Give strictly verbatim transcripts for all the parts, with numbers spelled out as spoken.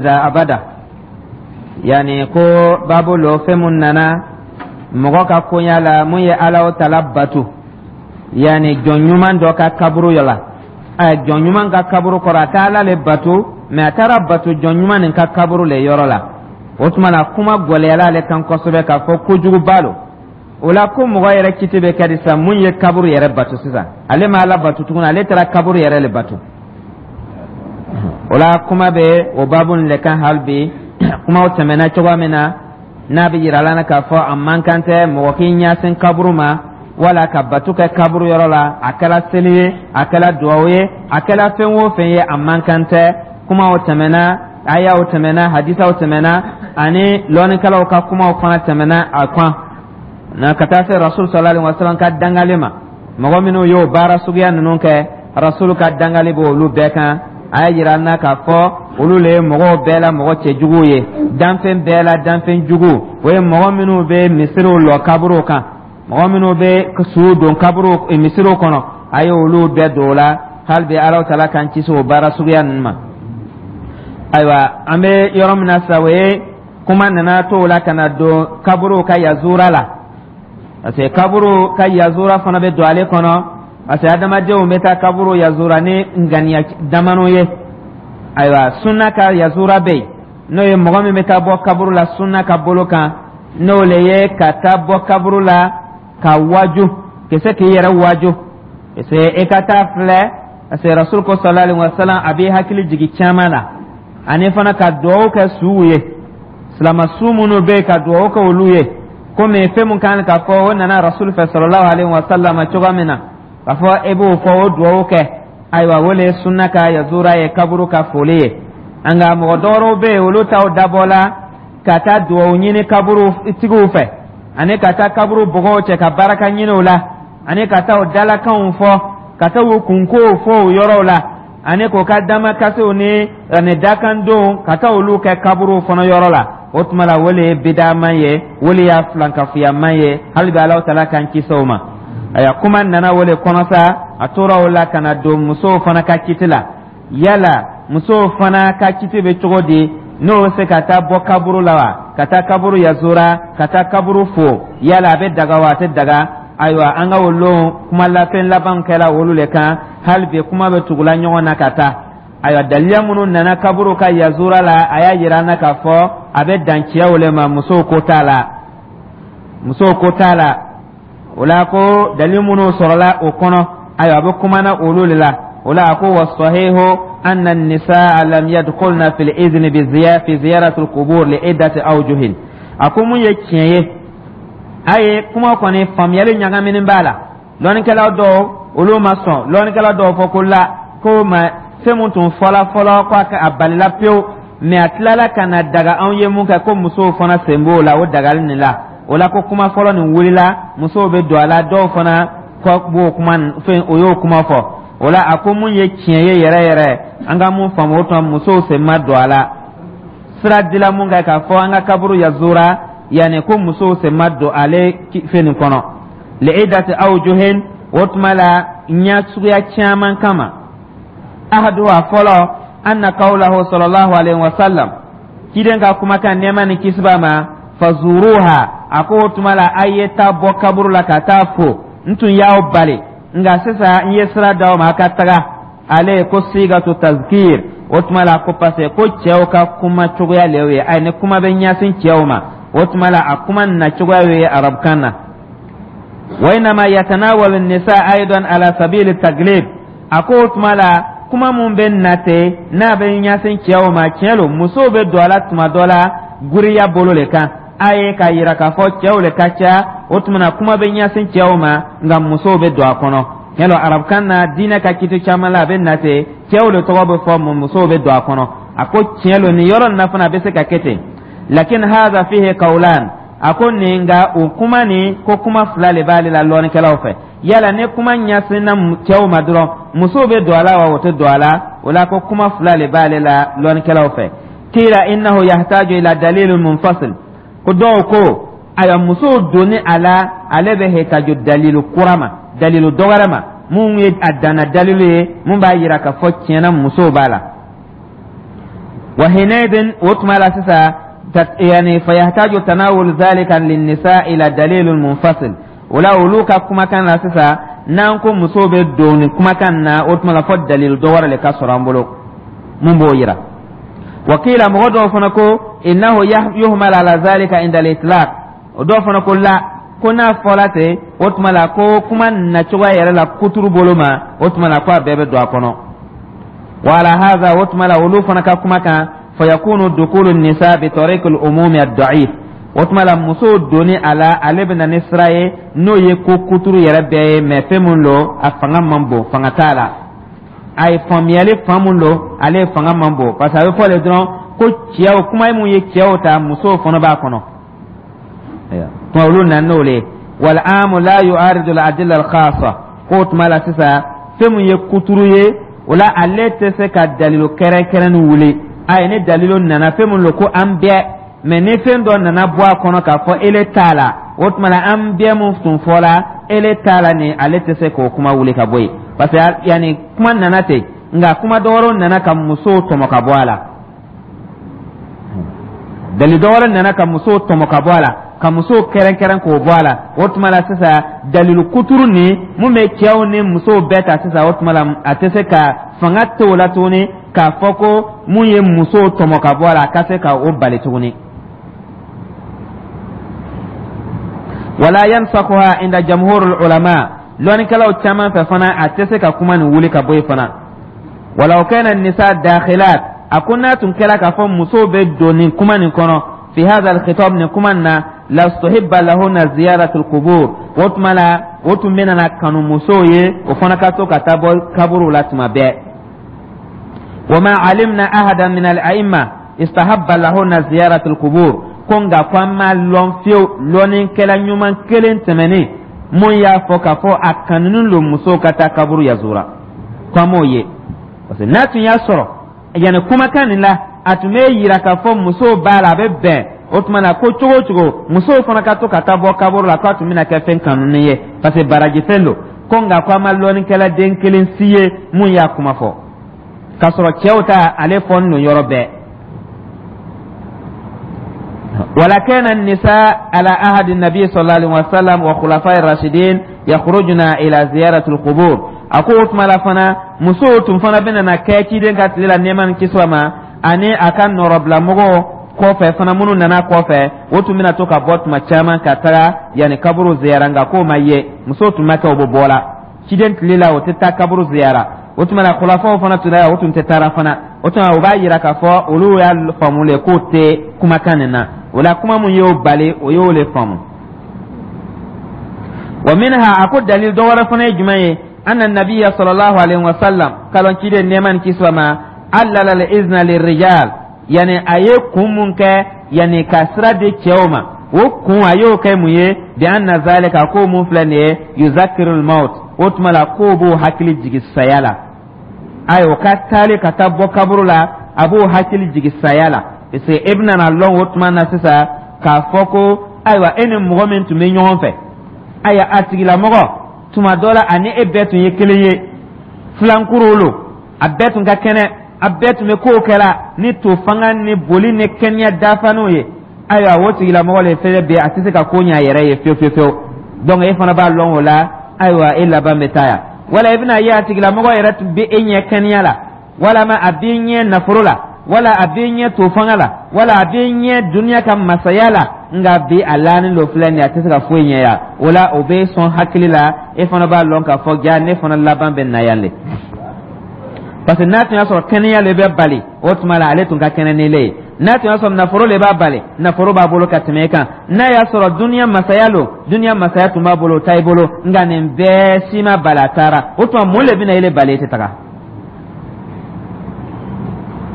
Abada, yani ko babu lo, fɛn mun nana mɔgɔ ka koɲa la, mun ye Ala tala batu, yani jɔn ɲuman dɔ ka kaburu la, ɛ jɔn ɲuman ka kaburu kɔrɔ, a tɛ Ala le batu, mɛ a taara batu jɔn ɲuman nin ka kaburu le yɔrɔ la. O tuma na, kuma gwɛlɛyala ale kan kosɛbɛ k'a fɔ kojuguba lo. O la, ko mɔgɔ yɛrɛ kiti bɛ kɛ di sisan? Mun ye kaburu yɛrɛ batu sisan? Ale ma Ala batu tuguni, ale taara kaburu yɛrɛ le batu. O la, kuma bɛ o babu nin le kan hali bi. Kumaw tɛmɛna cogoya min na, n'a bɛ yira la k'a fɔ a man kan tɛ mɔgɔ k'i ɲɛsin kaburu ma wala ka batu kɛ kaburu yɔrɔ la, a kɛra seli ye, a kɛra duwawu ye, a kɛra fɛn o fɛn ye, a man kan tɛ. Kumaw tɛmɛna, ayaw tɛmɛna, hadisaw tɛmɛna, ani lɔnnikɛlaw ka kumaw fana tɛmɛna a kan na, ka taa se Rasul sallallahu alaihi wasallam ka dangali ma. Mɔgɔ minnu y'o baara suguya ninnu kɛ, Rasul ka dangali b'olu bɛɛ kan. A y'a yira an na k'a fɔ olu le ye mɔgɔw bɛɛ la mɔgɔ cɛjuguw ye, danfɛn bɛɛ la danfɛn jugu. O ye mɔgɔ minnu bɛ misiriw lɔ kaburuw kan, mɔgɔ minnu bɛ suw don kaburu misiriw kɔnɔ, a ye olu bɛɛ don o la. Hali bi, Ala taala k'an kisi o baara suguya ninnu ma. Ayiwa, an bɛ yɔrɔ min na sisan, o ye kuma nana to o la ka na don kaburuw ka yazura la, parce que kaburu ka yazura fana bɛ don ale kɔnɔ, parce que adamadenw bɛ taa kaburu yazura ni ŋaniya damano ye. Ayiwa, sunna ka yazura bɛ yen, n'o ye mɔgɔ min bɛ taa bɔ kaburu la sunna ka bolo kan, n'o le ye ka taa bɔ kaburu la ka waju, ka se k'i yɛrɛ waju, parce que e ka taa filɛ, parce que Rasul ko sallallahu alaihi wa sallam, a b'i hakili jigin caman na, ani fana ka duwawu kɛ suw ye, silama su minnu bɛ yen, ka duwawu kɛ olu ye, komi fɛn mun kan ka fɔ, o nana Rasul fɛ sallallahu alaihi wa sallam cogoya min na, k'a fɔ e b'o fɔ, o duwawu kɛ. Ayiwa, o le ye sunna ka yazura ye, kaburu ka foli ye. Nka mɔgɔ dɔwɛrɛw bɛ yen, olu t'aw dabɔ la ka taa duwawu ɲini kaburu tigiw fɛ, ani ka taa kaburu bɔgɔw cɛ ka baraka ɲini o la, ani ka taa o dalakanw fɔ, ka taa u kunkow fɔ o yɔrɔw la, ani k'o ka damakasiw ni ani dakandenw, ka taa olu kɛ kaburu fana yɔrɔ la. O tuma la, o le ye bidaman ye, o le y'a filankafoyaman ye. Hali bi, Alahu taala k'an kisi o ma. Ayiwa, kuma nana o le kɔnɔ sa, a tora o la ka na don musow fana ka kiti la. Yala musow fana ka kiti bɛ cogo di? N'o bɛ se ka taa bɔ kaburu la wa, ka taa kaburu yazura, ka taa kaburu fo, yala a bɛ daga wa, a tɛ daga? Ayiwa, an ka o lon kuma lafɛn laban kɛla olu le kan. Hali bi, kuma bɛ tugula ɲɔgɔn na ka taa. Ayiwa, daliya minnu nana kaburu ka yazura la, a y'a yira an na k'a fɔ a bɛ dan cɛw le ma, musow ko t'a la, musow ko t'a la. O la, ko dalil minnu sɔrɔla o kɔnɔ, ayiwa, a bɛ kumana olu de la. O la, a ko wasahihu anna nisaa lam yadkhulna fil izni bi fi ziyarati al-qubur li iddati awjuhin. A ko mun ye tiɲɛ ye, a ye kuma kɔni faamuyali ɲagaminen b'a la. Lɔnnikɛla dɔw, olu ma sɔn. Lɔnnikɛla dɔw fɔ ko la, ko ma fɛn mun tun fɔla fɔlɔ, ko a balila pewu, mɛ a tilala ka na daga anw ye mun kɛ, ko musow fana sen b'o la, o dagali nin la. O la, ko kuma fɔlɔ nin wulila, musow bɛ don a la. Dɔw fana kɔ b'o kuma fɛn, o y'o kuma fɔ. O la, a ko mun ye tiɲɛ ye yɛrɛ yɛrɛ, an ka mun faamu, o tuma musow sen ma don a la. Sira dila mun kɛ k'a fɔ an ka kaburu yazura, yanni ko musow sen ma don ale fɛn nin kɔnɔ, li'idati awjuhin, o tuma la, ɲɛ suguya caman kama. Ahaduha, fɔlɔ, anna qawlahu sallallahu alaihi wa sallam, ciden ka kumakan, nɛɛma ni kisi b'a ma, fazuruha, a ko o tuma la, a ye taa bɔ kaburu la ka taa fo. N tun y'aw bali, nka sisan n ye sira d'aw ma a ka taga. Ale ko sigatu tazkir. O tuma la, ko parce que ko cɛw ka kuma cogoya le ye, ayi, ni kuma bɛ ɲɛsin cɛw ma, o tuma la, a kuma na cogoya ye arabukan na. Wa inama yatanawalu nisa aidan ala sabili taglib. A ko o tuma la, kuma mun bɛ na ten, n'a bɛ ɲɛsin cɛw ma, tiɲɛ lo, musow bɛ don a la tuma dɔ la guriya bolo le kan, a ye k'a yira k'a fɔ cɛw le ka ca. O tuma na, kuma bɛ ɲɛsin cɛw ma, nka musow bɛ don a kɔnɔ. Tiɲɛ lo, arabukan na, diinɛ ka kiti caman la, a bɛ na ten, cɛw le tɔgɔ bɛ fɔ, musow bɛ don a kɔnɔ. A ko tiɲɛ lo, nin yɔrɔ nin na fana, a bɛ se ka kɛ ten. Lakin hadha fihi qawlan. A ko nin, nka o kuma nin, ko kuma fila le b'ale la lɔnnikɛlaw fɛ. Yala ni kuma ɲɛsinna cɛw ma dɔrɔn, musow bɛ don a la wa, o tɛ don a la? O la, ko kuma fila le b'ale la lɔnnikɛlaw fɛ. Kila innahu yahtaju ila dalilin munfasil. Ko dɔw ko, ayiwa, musow donni a la, ale bɛ hetaju dalilu kura ma, dalilu dɔwɛrɛ ma, mun ye a danna dalilu ye, mun b'a yira k'a fɔ tiɲɛna musow b'a la. Wa hinaidin, o tuma la sisan, yani fayahtaju tanawul zalika linnisa ila dalilun munfasil. O la, olu ka kumakan la sisan, n'an ko musow bɛ don nin kumakan na, o tuma la fɔ dalilu dɔ wɛrɛ le ka sɔrɔ an bolo mun b'o yira. Wakila, mɔgɔ dɔw fana ko innahu yuhmal ala zalika inda al-itlaq. O dɔw fana ko la, ko n'a fɔla ten, o tuma la ko kuma nacogoya yɛrɛ la kuturu bolo ma, o tuma la ko a bɛɛ bɛ don a kɔnɔ. Wa ala hadha, o tuma la olu fana ka kuma kan, fayakunu dukulu nisa bi tariq al-umumi ad-da'if. O tuma la musow donni a la, ale bɛ na ni sira ye n'o ye ko kuturu yɛrɛ bɛɛ ye, mɛ fɛn mun don, a fanga man bon, fanga t'a la. A ye faamuyali fan mun don, ale fanga man bon, parce que a bɛ fɔ le dɔrɔn ko cɛw, kuma mun ye cɛw ta, musow fana b'a kɔnɔ. Tuma olu nana n'o le ye. Wal amu la yu'aridu al adilla al khassa. K'o tuma la sisan, fɛn mun ye kuturu ye, o la ale tɛ se ka dalilu kɛrɛnkɛrɛnnin wuli. Ayi, ni dalilu nana fɛn mun don ko an bɛɛ, mɛ ni fɛn dɔ nana bɔ a kɔnɔ k'a fɔ ele t'a la, o tuma la an bɛɛ mun tun fɔla, ele t'a la nin, ale tɛ se k'o kuma wuli ka bɔ yen, parce que yanni kuma nana ten, nka kuma dɔ wɛrɛw nana ka musow tɔmɔ ka bɔ a la. Dalilu dɔ wɛrɛ nana ka musow tɔmɔ ka bɔ a la, ka musow kɛrɛnkɛrɛn k'o bɔ a la. O tuma la sisan, dalilu kuturu nin mun bɛ cɛw ni musow bɛɛ ta sisan, o tuma la a tɛ se ka fanga t'o la tuguni k'a fɔ ko mun ye musow tɔmɔ ka bɔ a la, a ka se ka o bali tuguni. Wala yansakhuha inda jamhurul ulama, lɔnnikɛlaw caman fɛ fana, a tɛ se ka kuma nin wuli ka bɔ yen fana. Walaw kana nisa dakhilat, a ko n'a tun kɛra k'a fɔ musow bɛ don nin kuma nin kɔnɔ, fi hadha alkhitab, nin kuma nin na, lastuhibba lahunna ziyaratul qubur, o tuma la o tun bɛna na kanu musow ye, o fana ka to ka taa bɔ kaburuw la tuma bɛɛ. Wa ma alimna ahadan min al-a'imma istahabba lahunna ziyaratul qubur. Ko nka ko an m'a lɔn fiyewu lɔnnikɛla ɲuman kelen tɛmɛnen mun y'a fɔ k'a fɔ a kanunen don musow ka taa kaburu yazura, ko an m'o ye, parce que n'a tun y'a sɔrɔ yanni kumakan nin la, a tun bɛ yira k'a fɔ musow b'a la, a bɛ bɛn o tuma na ko cogo o cogo musow fana ka to ka taa bɔ kaburu la, k'a tun bɛna kɛ fɛn kanunen ye, parce que baraji fɛn don. Ko nka ko an ma lɔnnikɛla den kelen si ye mun y'a kuma fɔ, k'a sɔrɔ cɛw ta ale fɔ nin yɔrɔ bɛɛ. Wala kana nisa ala ahadi nabi sallallahu alaihi wasallam wa khulafai rashidin yakhrujuna ila ziyarati alqubur. A ko o tuma la fana, musow tun fana bɛna na kɛ ciden ka tile la, nɛɛma ni kisi ma, ani a ka nɔrɔbilamɔgɔw kɔfɛ fana, minnu nana kɔfɛ, o tun bɛna to ka bɔ tuma caman ka taga yanni kaburu ziyara. Nka k'o ma ye, musow tun ma kɛ o bɛ bɔ la ciden tile la, o tɛ taa kaburu ziyara. O tuma na khulafaw fana tun o tun tɛ taara fana. O tuma o b'a yira k'a fɔ olu y'a faamu le k'o tɛ kumakan nin na. O la, kuma mun y'o bali, o y'o le faamu. Wa minha, a ko dalil dɔ wɛrɛ fana ye jumɛn ye? Anna nabiyya sallallahu alaihi wa sallam, kalon ciden nɛɛma ni kisi ma, allala al izna lirrijal, yani a ye kun mun kɛ yani ka sira di cɛw ma, o kun a y'o kɛ mun ye? Bi anna zalika, ko mun filɛ nin ye, yuzakiru al-maut, o tuma la k'o b'o hakili jigi saya la. Ayi, o ka taali ka taa bɔ kaburu la, a b'o hakili jigi saya la, parce que e bɛna na lɔn o tuma na sisan k'a fɔ ko ayiwa, e ni mɔgɔ min tun bɛ ɲɔgɔn fɛ, ayiwa, a tigilamɔgɔ tuma dɔ la ani e bɛɛ tun ye kelen ye, filankuru lo, a bɛɛ tun ka kɛnɛ, a bɛɛ tun bɛ kow kɛla ni to fanga ni boli ni kɛnɛya dafanew ye. Ayiwa, o tigilamɔgɔ le fɛnɛ bɛ a tɛ se ka ko ɲɛ a yɛrɛ ye fiyewu fiyewu fiyewu. Donc e fana b'a lɔn o la, ayiwa, e laban bɛ taa yan. Wala i bɛna ye a tigilamɔgɔ yɛrɛ tun bɛ e ɲɛ kɛnɛya la, walama a b'i ɲɛ nafolo la, wala a b'i ɲɛ to fanga la, wala a b'i ɲɛ duniya ka masaya la, nka bi a lanin dɔ filɛ nin ye, a tɛ se ka foyi ɲɛ yan. O la, o bɛ sɔn hakili la, e fana b'a lɔn k'a fɔ ja ne fana laban bɛ na yan le, parce que n'a tun y'a sɔrɔ kɛnɛya le bɛ bali, o tuma la ale tun ka kɛnɛ ni le ye. N'a tun y'a sɔrɔ nafolo le b'a bali, nafolo b'a bolo ka tɛmɛ e kan. N'a y'a sɔrɔ duniya masaya lo, duniya masaya tun b'a bolo, o ta i bolo. Nka nin bɛɛ si ma bali, a taara. O tuma mun le bɛna ele bali e tɛ taga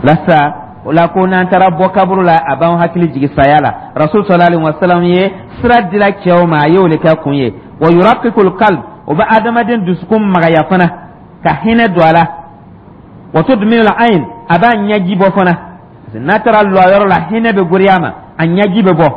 lasa? O la, ko n'an taara bɔ kaburu la, a b'an hakili jigi saya la. Rasul sallallahu alaihi wasallam ye sira dila cɛw ma, a y'o le kɛ kun ye. Wa yuraqiqul qalb, o bɛ adamaden dusukun magaya fana, ka hinɛ don a la. Wa tudminu al-ayn, a b'a ɲɛji bɔ fana. N'a taara lɔ yɔrɔ la, hinɛ bɛ goriya ma, a ɲɛji bɛ bɔ.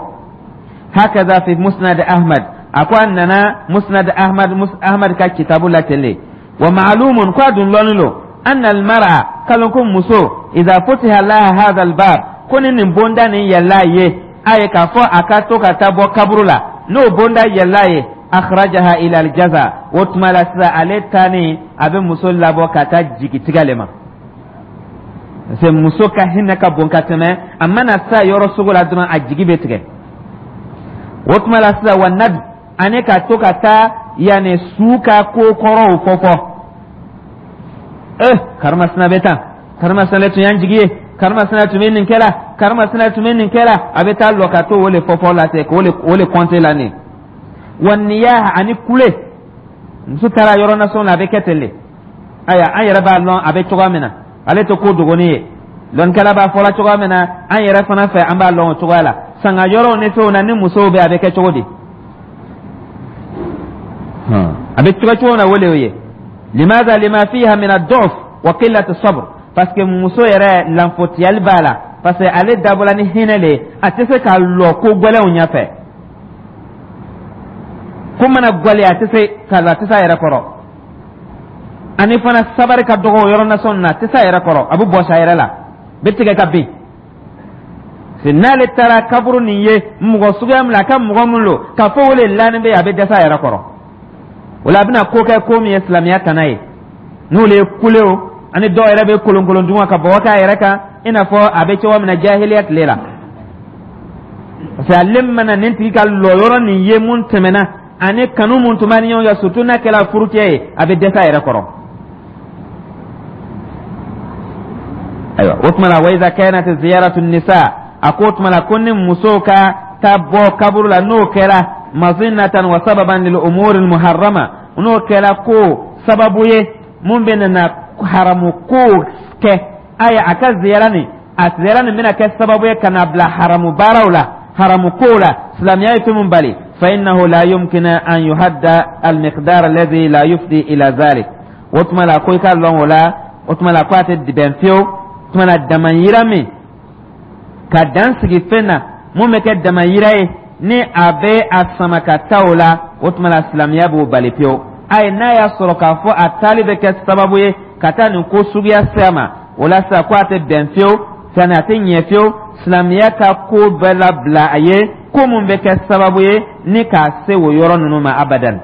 Hakaza fi musnad Ahmad, a ko a nana musnad Ahmad, Ahmad ka kitabu la ten de. Wa ma'lumun, ko a dun lɔnni lo, anna al-mar'a Kalon ko muso, iza futiha laha hadha albab, ko ni nin bonda nin yɛlɛla ye a ye, k'a fɔ a ka to ka taa bɔ kaburu la, n'o bonda yɛlɛla ye, akhrajaha ila aljaza. O tuma la sisan, ale taani a bɛ muso labɔ ka taa jigitigɛ le ma, parce que muso ka hinɛ ka bon ka tɛmɛ. A mana sa yɔrɔ sugu la dɔrɔn, a jigi bɛ tigɛ. O tuma la sisan, wa nad ani ka to ka taa yanni su ka ko kɔrɔw fɔ fɔ eh karimasina bɛ tan, karimasina tun y'an jigi ye, karimasina tun bɛ nin kɛ la, karimasina tun bɛ nin kɛ la. A bɛ taa lɔ ka to o le fɔfɔ la ten, k'o le o le kɔnte la nin. Wa niyaha, ani kule. Muso taara yɔrɔ nasɔn la, a bɛ kɛ ten le. Ayiwa, an yɛrɛ b'a lɔn a bɛ cogoya min na, ale tɛ ko dogoni ye. Lɔnnikɛla b'a fɔla cogoya min na, an yɛrɛ fana fɛ, an b'a lɔn o cogoya la. Sanga yɔrɔw ni fɛnw na, ni musow bɛ, a bɛ kɛ cogo di? A bɛ cogo cogo na, o le ye. Limaza? Lima fiha min ad-du'f wa qillati sabr, parce que muso yɛrɛ lanfotiyali b'a la, parce que ale dabɔla ni hinɛ le ye, a tɛ se ka lɔ ko gɛlɛnw ɲɛfɛ. Ko mana gwɛlɛya, a tɛ se ka lɔ, a tɛ se a yɛrɛ kɔrɔ. Ani fana sabari ka dɔgɔ o yɔrɔ nasɔn na, a tɛ se a yɛrɛ kɔrɔ, a bɛ bɔsi a yɛrɛ la, bɛ tigɛ ka bin. N'ale taara kaburu nin ye mɔgɔ suguya min na, a ka mɔgɔ min lo k'a fɔ o le lanin bɛ yen, a bɛ dɛsɛ a yɛrɛ kɔrɔ. O la, a bɛna ko kɛ ko min ye silamɛya tana ye, n'o le ye kule o, ani dɔw yɛrɛ bɛ kolonkolon dun ka bɔgɔ k'a yɛrɛ kan, i n'a fɔ a bɛ cogo min na jahiliya tile la. Parce que ale mana nin tigi ka lɔyɔrɔ nin ye mun tɛmɛna, ani kanu mun tun b'a ni ɲɔgɔn cɛ, surtout n'a kɛra furucɛ ye, a bɛ dɛsɛ a yɛrɛ kɔrɔ. Ayiwa, o tuma la, wa iza kanat ziyaratu nisa, a ko o tuma la ko ni musow ka taa bɔ kaburu la, n'o kɛra mazinatan wa sababan lil umuri muharrama, n'o kɛra ko sababu ye mun bɛ na haramu ko kɛ, ayi, a ka ziyara nin, a ziyara nin bɛna kɛ sababu ye ka na bila haramu baaraw la, haramu kow la, silamɛya ye fɛn mun bali, fa innahu la yumkinu an yuhadda al miqdar alladhi la yufdi ila zalik. O tuma la ko i ka lɔn o la, o tuma la ko a tɛ bɛn fiyewu. O tuma la, damayira min ka dan sigi fɛn na, mun bɛ kɛ damayira ye ni a bɛ a sama ka taa o la, o tuma la silamɛya b'o bali pewu. Ayi, n'a y'a sɔrɔ k'a fɔ a taali bɛ kɛ sababu ye ka taa nin ko suguya se a ma, o la sisan ko a tɛ bɛn fiyewu, sani a tɛ ɲɛ fiyewu silamɛya ka ko bɛɛ labila a ye, ko mun bɛ kɛ sababu ye ni k'a se o yɔrɔ ninnu ma abadan.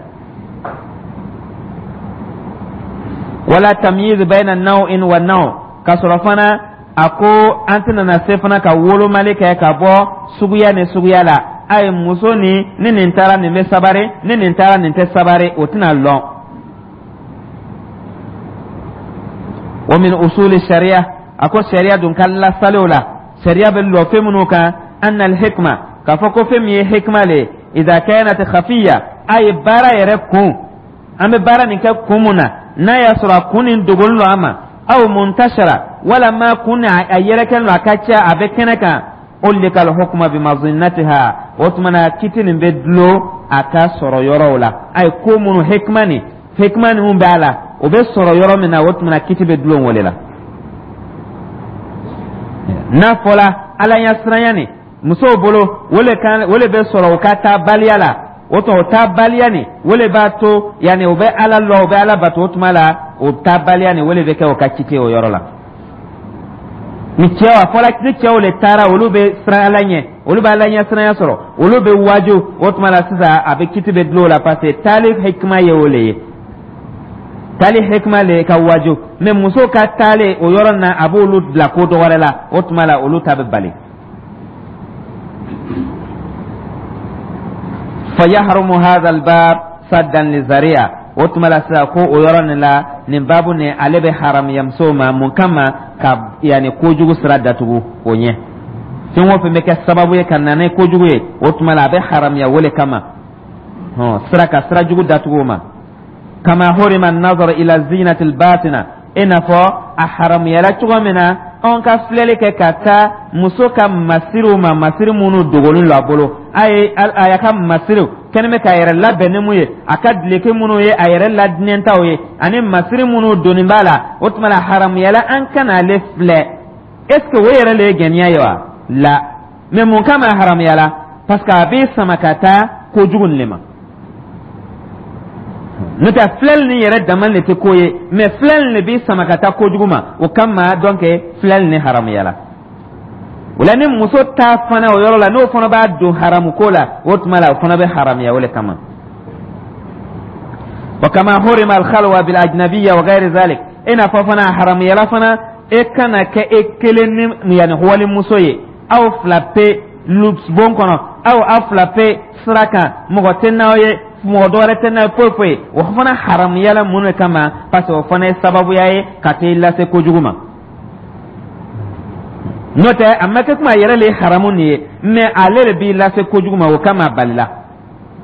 Wala tamyiz bayna naw'in wa naw, ka sɔrɔ fana a ko an tɛna na se fana ka wolomali kɛ ka bɔ suguya ni suguya la. A ye muso ni ni nin taara, nin bɛ sabari, ni nin taara, nin tɛ sabari, o tɛna lɔn. Wa min usuli sariya, a ko sariya dun ka lasaliw la, sariya bɛ lɔ fɛn minnu kan, anna alhikma, k'a fɔ ko fɛn min ye hikma le ye, idha kanat khafiya, a ye baara yɛrɛ kun, an bɛ baara nin kɛ kun mun na, n'a y'a sɔrɔ a kun nin dogolen don an ma, aw muntashara, walama kun a yɛrɛkɛlen don, a ka ca, a bɛ kɛnɛ kan, ulika alhukma bimazinnatiha, o tuma na kiti nin bɛ dulon a ka sɔrɔ yɔrɔw la. A ye ko minnu hikma nin, hikma ninnu b'a la, o bɛ sɔrɔ yɔrɔ min na, o tuma na kiti bɛ dulon o de la. N'a fɔla ala ɲɛsiranya nin musow bolo, o le kan, o le bɛ sɔrɔ u ka taabaliya la, o tuma o taabaliya nin, o le b'a to yanni o bɛ ala lɔ, o bɛ ala bato, o tuma la o taabaliya nin, o le bɛ kɛ o ka kiti o yɔrɔ la. Ni cɛw, a fɔla ni cɛw le taara, olu bɛ siran ala ɲɛ, olu bɛ ala ɲɛ siranya sɔrɔ, olu bɛ waaju, o tuma la sisan a bɛ kiti bɛ dulon o la, parce que taali hikima ye o le ye, taali hikima le ye ka waaju. Mais muso ka taali o yɔrɔ na, a b'olu bila ko dɔ wɛrɛ la, o tuma la olu ta bɛ bali. Fa yahrumu hadha albab saddan lizari'a, o tuma la sisan ko o yɔrɔ nin la, nin baabu nin, ale bɛ haramuya musow ma. Mun kama? Ka yanni kojugu sira datugu o ɲɛ. Fɛn o fɛn bɛ kɛ sababu ye ka na ni kojugu ye, o tuma la a bɛ haramuya o le kama, hɔn, sira ka sira jugu datugu o ma. Kama hurima nazar ila zinati albatina, i n'a fɔ a haramuyala cogo min na anw ka filɛli kɛ ka taa muso ka masiriw ma, masiri minnu dogolen don a bolo, a ye a y'a ka masiriw kɛnɛ bɛ k'a yɛrɛ labɛn ni mun ye, a ka dileki minnu ye a yɛrɛ ladinɛtaw ye, ani masiri minnu donni b'a la, o tuma la haramuyala an kana ale filɛ. Est ce que o yɛrɛ le ye gɛniya ye wa? La, mais mun kama a haramuyala? Parce que a bɛ sama ka taa kojugu nin le ma. N'o tɛ, filɛli nin yɛrɛ dama de tɛ ko ye, mais filɛli de b'i sama ka taa kojugu ma. O kama donc filɛli nin haramuyala. O la, ni muso ta fana o yɔrɔ la, n'o fana b'a don haramu ko la, o tuma la o fana bɛ haramuya o le kama. Wa kama hurima alkhalwa bil ajnabiyya wa ghayri zalik, i n'a fɔ fana haramuyala fana e kana kɛ e kelen ni yanni walimuso ye, aw fila pe bon kɔnɔ, aw aw fila pe sira kan, mɔgɔ tɛ n'aw ye, mɔgɔ dɔ wɛrɛ tɛ n'a ye, foyi foyi. O fana haramuyala. Mun de kama? Parce que o fana ye sababuya ye ka t'i lase kojugu ma. N'o tɛ, a ma kɛ kuma a yɛrɛ le ye haramu nin ye, mais ale de b'i lase kojugu ma. O kama a balila,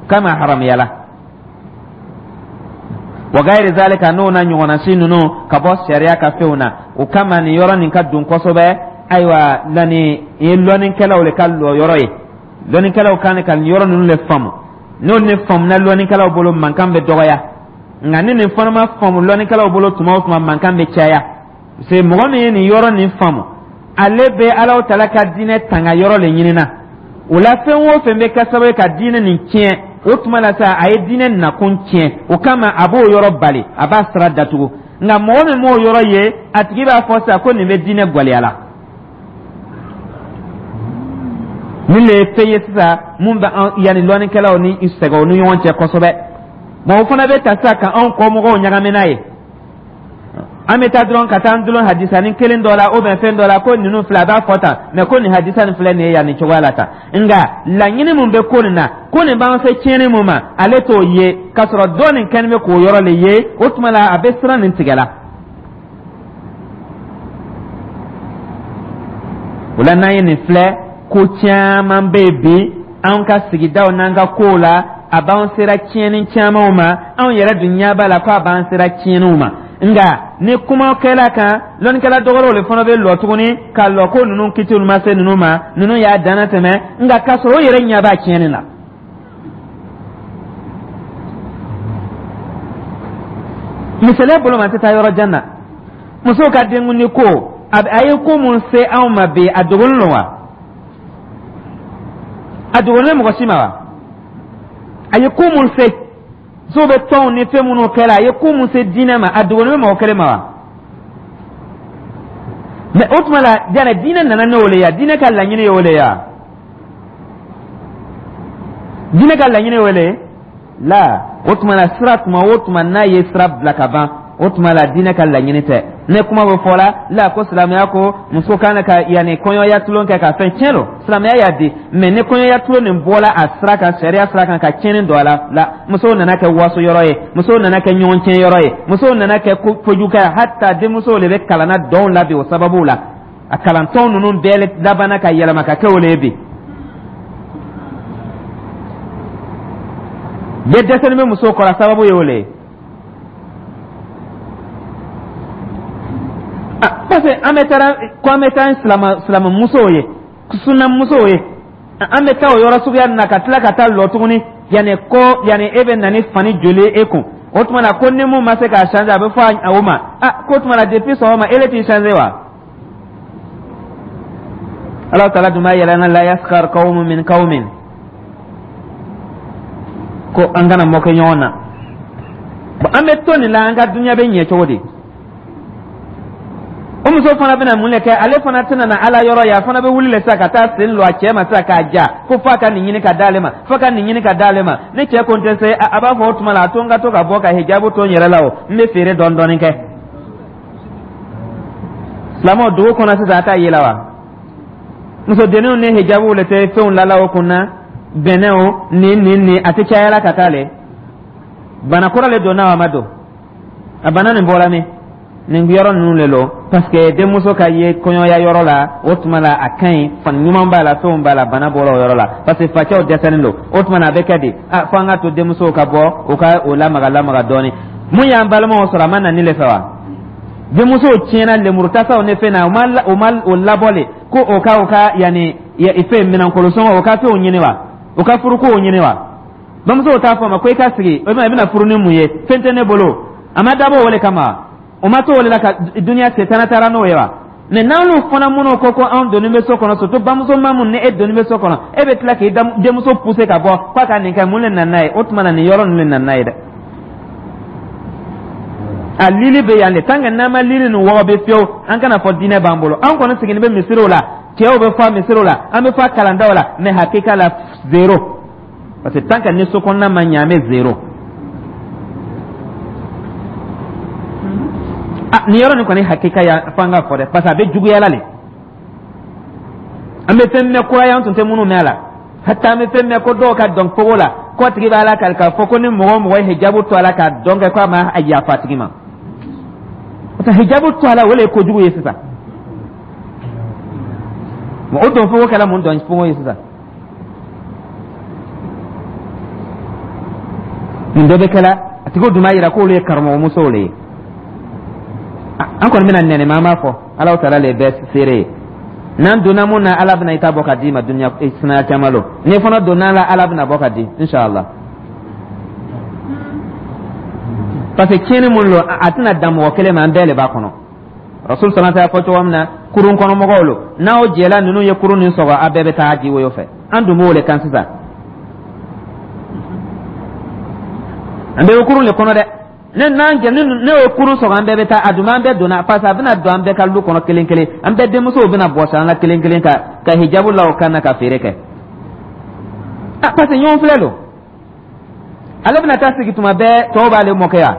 o kama a haramuyala. Wa gayiri zalika, n'o na ɲɔgɔnna si ninnu ka bɔ sariya ka fɛnw na. O kama nin yɔrɔ nin ka don kosɛbɛ. Ayiwa, lani ye lɔnnikɛlaw de ka lɔ yɔrɔ ye. Lɔnnikɛlaw kan ka nin yɔrɔ ninnu de faamu. N'o ni faamuna lɔnnikɛlaw bolo, mankan bɛ dɔgɔya. Nka ni nin fana ma faamu lɔnnikɛlaw bolo, tuma o tuma mankan bɛ caya, parce que mɔgɔ min ye nin yɔrɔ nin faamu, ale bɛ Alahu Taala ka diinɛ tanga yɔrɔ de ɲinina. O la, fɛn o fɛn bɛ kɛ sababu ye ka diinɛ nin tiɲɛ, o tuma la sa a ye diinɛ nakun tiɲɛ. O kama a b'o yɔrɔ bali, a b'a sira datugu. Nka mɔgɔ min m'o yɔrɔ ye, a tigi b'a fɔ sa ko nin bɛ diinɛ gwɛlɛya la. Nin de ye fɛn ye sisan mun bɛ an yanni lɔnnikɛlaw ni sɛgɛw ni ɲɔgɔn cɛ kosɛbɛ. Mɔgɔ fana bɛ ta sisan ka anw kɔmɔgɔw ɲagami n'a ye. An bɛ taa dɔrɔn ka taa an dulon hadisani kelen dɔ la, ou bien fɛn dɔ la, ko ninnu filɛ, a b'a fɔ tan, mais ko nin hadisa nin filɛ nin ye yan nin cogoya la tan. Nka laɲini mun bɛ ko nin na, ko nin b'an se tiɲɛni mun ma, ale t'o ye, k'a sɔrɔ dɔ nin kɛlen bɛ k'o yɔrɔ le ye. O tuma la a bɛ siran nin tigɛ la. O la, n'an ye nin filɛ, ko caman bɛ yen bi an ka sigidaw n'an ka kow la, a b'an sera tiɲɛni camanw ma. Anw yɛrɛ dun ɲɛ b'a la ko a b'an sera tiɲɛniw ma. Nka ni kuma kɛla kan, lɔnnikɛla dɔgɔrɔw le fana bɛ lɔ tuguni ka lɔ ko ninnu kitiw ma se ninnu ma, ninnu y'a danna tɛmɛ, nka k'a sɔrɔ o yɛrɛ ɲɛ b'a tiɲɛni na. Misaliya bolo ma, n tɛ taa yɔrɔ jan na, musow ka denkundi ko, a ye ko mun se anw ma bi, a dogolen don wa? A dogolen mɔgɔ si ma wa? A ye ko mun se, musow bɛ tɔnw ni fɛn minnu kɛra, a ye ko mun se diinɛ ma, a dogolen bɛ mɔgɔ kelen ma wa? Mais o tuma la, jana diinɛ nana n'o le ye, diinɛ ka laɲini ye o le ye wa? Diinɛ ka laɲini ye o le ye la. O tuma la, sira tuma o tuma n'a ye sira bila ka ban, o tuma la diinɛ ka laɲini tɛ. Ne kuma bɛ fɔ la la ko silamɛya ko muso kan ka yanni kɔɲɔya tulon kɛ ka fɛn tiɲɛ don, silamɛya y'a di. Mais ni kɔɲɔya tulon nin bɔla a sira kan, sariya sira kan, ka tiɲɛni don a la la, musow nana kɛ waso yɔrɔ ye, musow nana kɛ ɲɔgɔn tiɲɛ yɔrɔ ye, musow nana kɛ kojugu kɛ, hata denmusow de bɛ kalanna dɔnw la bi. O sababu la, a kalantɔn ninnu bɛɛ labanna ka yɛlɛma ka kɛ o le ye bi. Bɛɛ dɛsɛlen bɛ musow kɔrɔ, a sababu ye o le ye, parce que an bɛ taa ko an bɛ taa silama silamamusow ye, sunnamusow ye, an bɛ taa o yɔrɔ suguya na ka tila ka taa lɔ tuguni yanni ko yanni e bɛ na ni fani joli e kun. O tuma na ko ni mun ma se k'a changer, a bɛ fɔ o ma ah k'o tuma na depuis sɔgɔma e le t'i changer wa? Ala taala dun b'a yɛlɛ na la yaskhar qawmun min qawmin, ko an kana mɔkɛ ɲɔgɔn na. Bon, an bɛ to nin la, an ka dunuya bɛ ɲɛ cogo di? O muso fana bɛna mun de kɛ? Ale fana tɛna na Ala yɔrɔ ye. A fana bɛ wuli le sisan ka taa sen lɔ a cɛ ma sisan k'a ja ko f'a ka nin ɲini ka d'ale ma, f'a ka nin ɲini ka d'ale ma. Ni cɛ ko n tɛ se, a b'a fɔ o tuma la a to n ka to ka bɔ ka hijabu to n yɛrɛ la, o n bɛ feere dɔɔni dɔɔni kɛ. Silamɛw dugu kɔnɔ sisan, a t'a ye la wa? Musodenninw ni hijabuw le tɛ fɛnw lala o kun na, bɛnɛw nin nin nin, a tɛ caya la ka taa le. Bana kura le donna wa ma don? A bana nin bɔra min? Nin yɔrɔ ninnu le lo, parce que denmuso ka ye kɔɲɔya yɔrɔ la, o tuma la a ka ɲi, fani ɲuman b'a la, fɛnw b'a la. Bana bɔra o yɔrɔ la, parce que facɛw dɛsɛlen don. O tuma na a bɛ kɛ di? A fo an ka to denmusow ka bɔ, u ka o lamaga lamaga dɔɔni. Mun y'an balimaw sɔrɔ, a ma na nin le fɛ wa? Denmusow tiɲɛna lemurutasaw ni fɛn na, o ma o ma o labɔ le ko o ka o ka yanni fɛn minɛnkolonsɔngɔ, o ka fɛnw ɲini wa, o ka furukow ɲini wa? Bamusow t'a fɔ a ma ko i ka sigi, o i bɛna furu ni mun ye? Fɛn tɛ ne bolo. A ma dabɔ o le kama, o ma to o de la ka duniya setana taara n'o ye wa? Mais n'olu fana minnu ko ko anw donni bɛ so kɔnɔ, surtout bamuso ma mun ni e donni bɛ so kɔnɔ, e bɛ tila k'i denmuso pousser ka bɔ k'a ka nin kɛ, mun de nana n'a ye? O tuma na nin yɔrɔ ninnu de nana n'a ye dɛ. A lili bɛ yan de. Tant que n'an ma lili nin wɔgɔbɛ fiyewu, an kana fɔ diinɛ b'an bolo. An kɔni sigilen bɛ misiriw la, cɛw bɛ fɔ misiriw la, an bɛ fɔ kalandaw la, mais hakika la, zéro, parce que tant que ni so kɔnɔna ma ɲɛ, an bɛ zéro. Ah, nin yɔrɔ nin kɔni hakika ya f'an ka fɔ dɛ, parce que a bɛ juguya la le. An bɛ fɛn mɛn kura ye, an tun tɛ minnu mɛn a la. Hata an bɛ fɛn mɛn ko dɔw ka dɔn kogo la, ko tigi b'a la kali k'a fɔ ko ni mɔgɔ o mɔgɔ ye hijabu to a la ka dɔn kɛ, ko a ma yafa a tigi ma, parce que hijabu to a la, o le ye kojugu ye sisan. O dɔn fogo kɛra mun dɔn fogo ye sisan? Nin bɛɛ bɛ kɛla, a tigiw dun b'a yira k'olu ye karamɔgɔmusow le ye. An kɔni bɛna nɛnɛma, an b'a fɔ Alahu taala le bɛɛ seere ye. N'an donna mun na, Ala bɛna i ta bɔ ka d'i ma dunuya sinaya caman lo. N'i fana donna la, Ala bɛna bɔ ka di, inshallah, parce que tiɲɛni mun lo, a tɛna dan mɔgɔ kelen ma, an bɛɛ le b'a kɔnɔ. Rasul sallallahu alaihi fɔ cogo min na, kurun kɔnɔ mɔgɔw lo, n'aw jɛla ninnu ye kurun nin sɔgɔ, a bɛɛ bɛ taa ji woyo fɛ. An dun b'o le kan sisan, an bɛɛ bɛ kurun le kɔnɔ dɛ. Ne n'an jɛ ne ye kurun sɔgɔ, an bɛɛ bɛ taa. A dun an bɛɛ donna, parce que a bɛna don an bɛɛ ka lu kɔnɔ kelen kelen, an bɛɛ denmusow bɛna bɔsi an la kelen kelen ka ka hijabu la o kan na ka feere kɛ. Ah, parce que ɲɔgɔn filɛ lo, ale bɛna taa sigi tuma bɛɛ, tɔw b'ale mɔkɛ yan.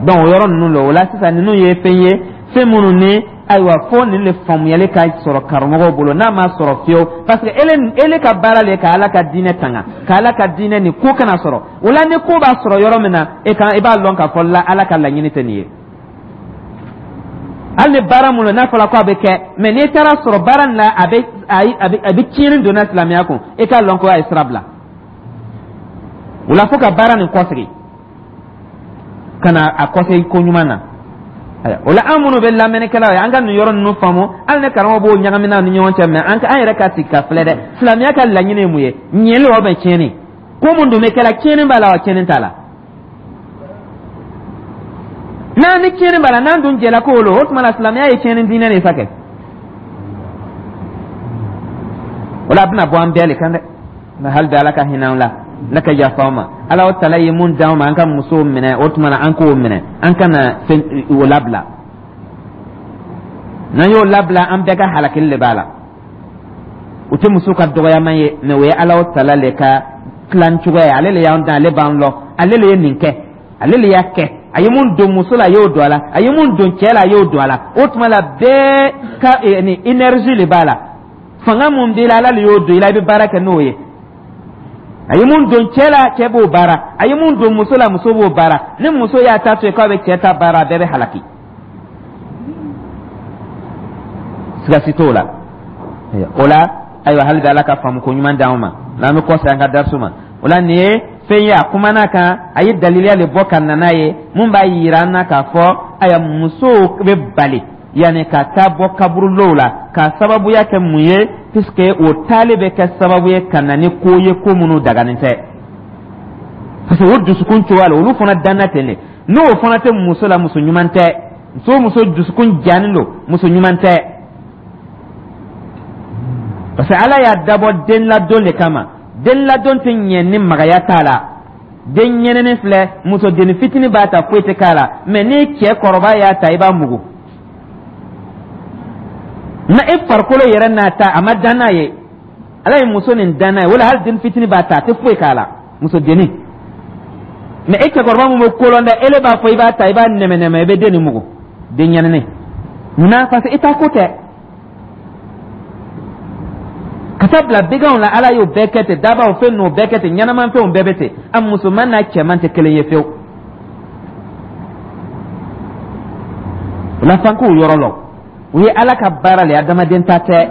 Donc o yɔrɔ ninnu la, o la sisan, ninnu ye fɛn ye, fɛn minnu ni ayiwa fo nin de faamuyali ka sɔrɔ karamɔgɔw bolo. N'a ma sɔrɔ fiyewu, parce que ele ele ka baara le ka Ala ka diinɛ tanga, ka Ala ka diinɛ nin ko kana sɔrɔ. O la, ni ko b'a sɔrɔ yɔrɔ min na, e kan i b'a lɔn k'a fɔ la Ala ka laɲini tɛ nin ye. Hali ni baara mun n'a fɔra ko a bɛ kɛ, mais n'i taara sɔrɔ baara nin la, a bɛ a bɛ a bɛ tiɲɛni donna silamɛya kun, e k'a lɔn ko a ye sira bila. O la, fo ka baara nin kɔsegin ka na a kɔsegin ko ɲuman na. O la, an minnu bɛ lamɛnnikɛlaw ye, an ka nin yɔrɔ ninnu faamu. Hali ni karamɔgɔ b'o ɲagami ni ɲɔgɔn cɛ, mais an an yɛrɛ ka sigi ka filɛ dɛ, silamɛya ka laɲini ye mun ye? Ɲɛli wa bɛ tiɲɛni? Ko mun dun bɛ kɛla, tiɲɛni b'a la wa tiɲɛni t'a la? N'an ni tiɲɛni b'a la, n'an dun jɛla k'o lo, o tuma la silamɛya ye tiɲɛni diinɛ de sa kɛ. O la, a bɛna bɔ an bɛɛ le kan dɛ. Nka hali bi, Ala ka hinɛ an la, Ala ka yafa an ma. Ala o tala ye mun d'an ma, an ka musow minɛ, o tuma na an k'o minɛ, an kana fɛn o labila. N'an y'o labila, an bɛɛ ka halakili de b'a la. O tɛ muso ka dɔgɔyama ye, mais o ye Ala o tala le ka tilan cogoya ye. Ale le y'an dan, ale b'an lɔ, ale le ye nin kɛ, ale le y'a kɛ. A ye mun don muso la, a y'o don a la. A ye mun don cɛ la, a y'o don a la. O tuma la, bɛɛ ka ni énergie le b'a la, fanga mun b'i la, Ala le y'o don i la, i bɛ baara kɛ n'o ye. A ye mun don cɛ la, cɛ b'o baara. A ye mun don muso la, muso b'o baara. Ni muso y'a ta to yen k'a bɛ cɛ ta baara, a bɛɛ bɛ halaki, siga si t'o la. O la, ayiwa, hali bi Ala ka faamu ko ɲuman d'anw ma. N'an bɛ kɔsegin an ka darisu ma, o la, nin ye fɛn ye, a kumana kan, a ye daliliya le bɔ ka na n'a ye mun b'a yira an na k'a fɔ ayiwa, musow bɛ bali yanni ka taa bɔ kaburulow la, k'a sababuya kɛ mun ye? Puisque o taali bɛ kɛ sababu ye ka na ni ko ye, ko minnu daganen tɛ, parce que o dusukun cogoya la, olu fana danna ten de. N'o fana tɛ muso la, muso ɲuman tɛ. Muso o muso dusukun jannen don, muso ɲuman tɛ, parce que Ala y'a dabɔ den ladon de kama. Den ladon tɛ ɲɛ ni magaya t'a la. Den ɲɛnɛni filɛ, muso denni fitinin b'a ta, foyi tɛ k'a la, mais ni cɛ kɔrɔba y'a ta, i b'a mugu na e farikolo yɛrɛ n'a ta, a ma dan n'a ye. Ala ye muso nin dan n'a ye, wala hali den fitinin b'a ta, a tɛ foyi k'a la, muso denni. Mais e cɛkɔrɔba mun bɛ kolon dɛ, ele b'a fɔ i b'a ta, i b'a nɛmɛ nɛmɛ, i bɛ den nin mugu, den ɲɛnɛni munna? Parce que i t'a ko tɛ ka taa bila biganw la. Ala y'o bɛɛ kɛ ten, dabaw fɛn n'o bɛɛ kɛ ten, ɲɛnamafɛnw bɛɛ bɛ ten. A musoman n'a cɛman tɛ kelen ye fiyewu. O la, f'an k'o yɔrɔ lɔn, o ye Ala ka baara le ye, adamaden ta tɛ,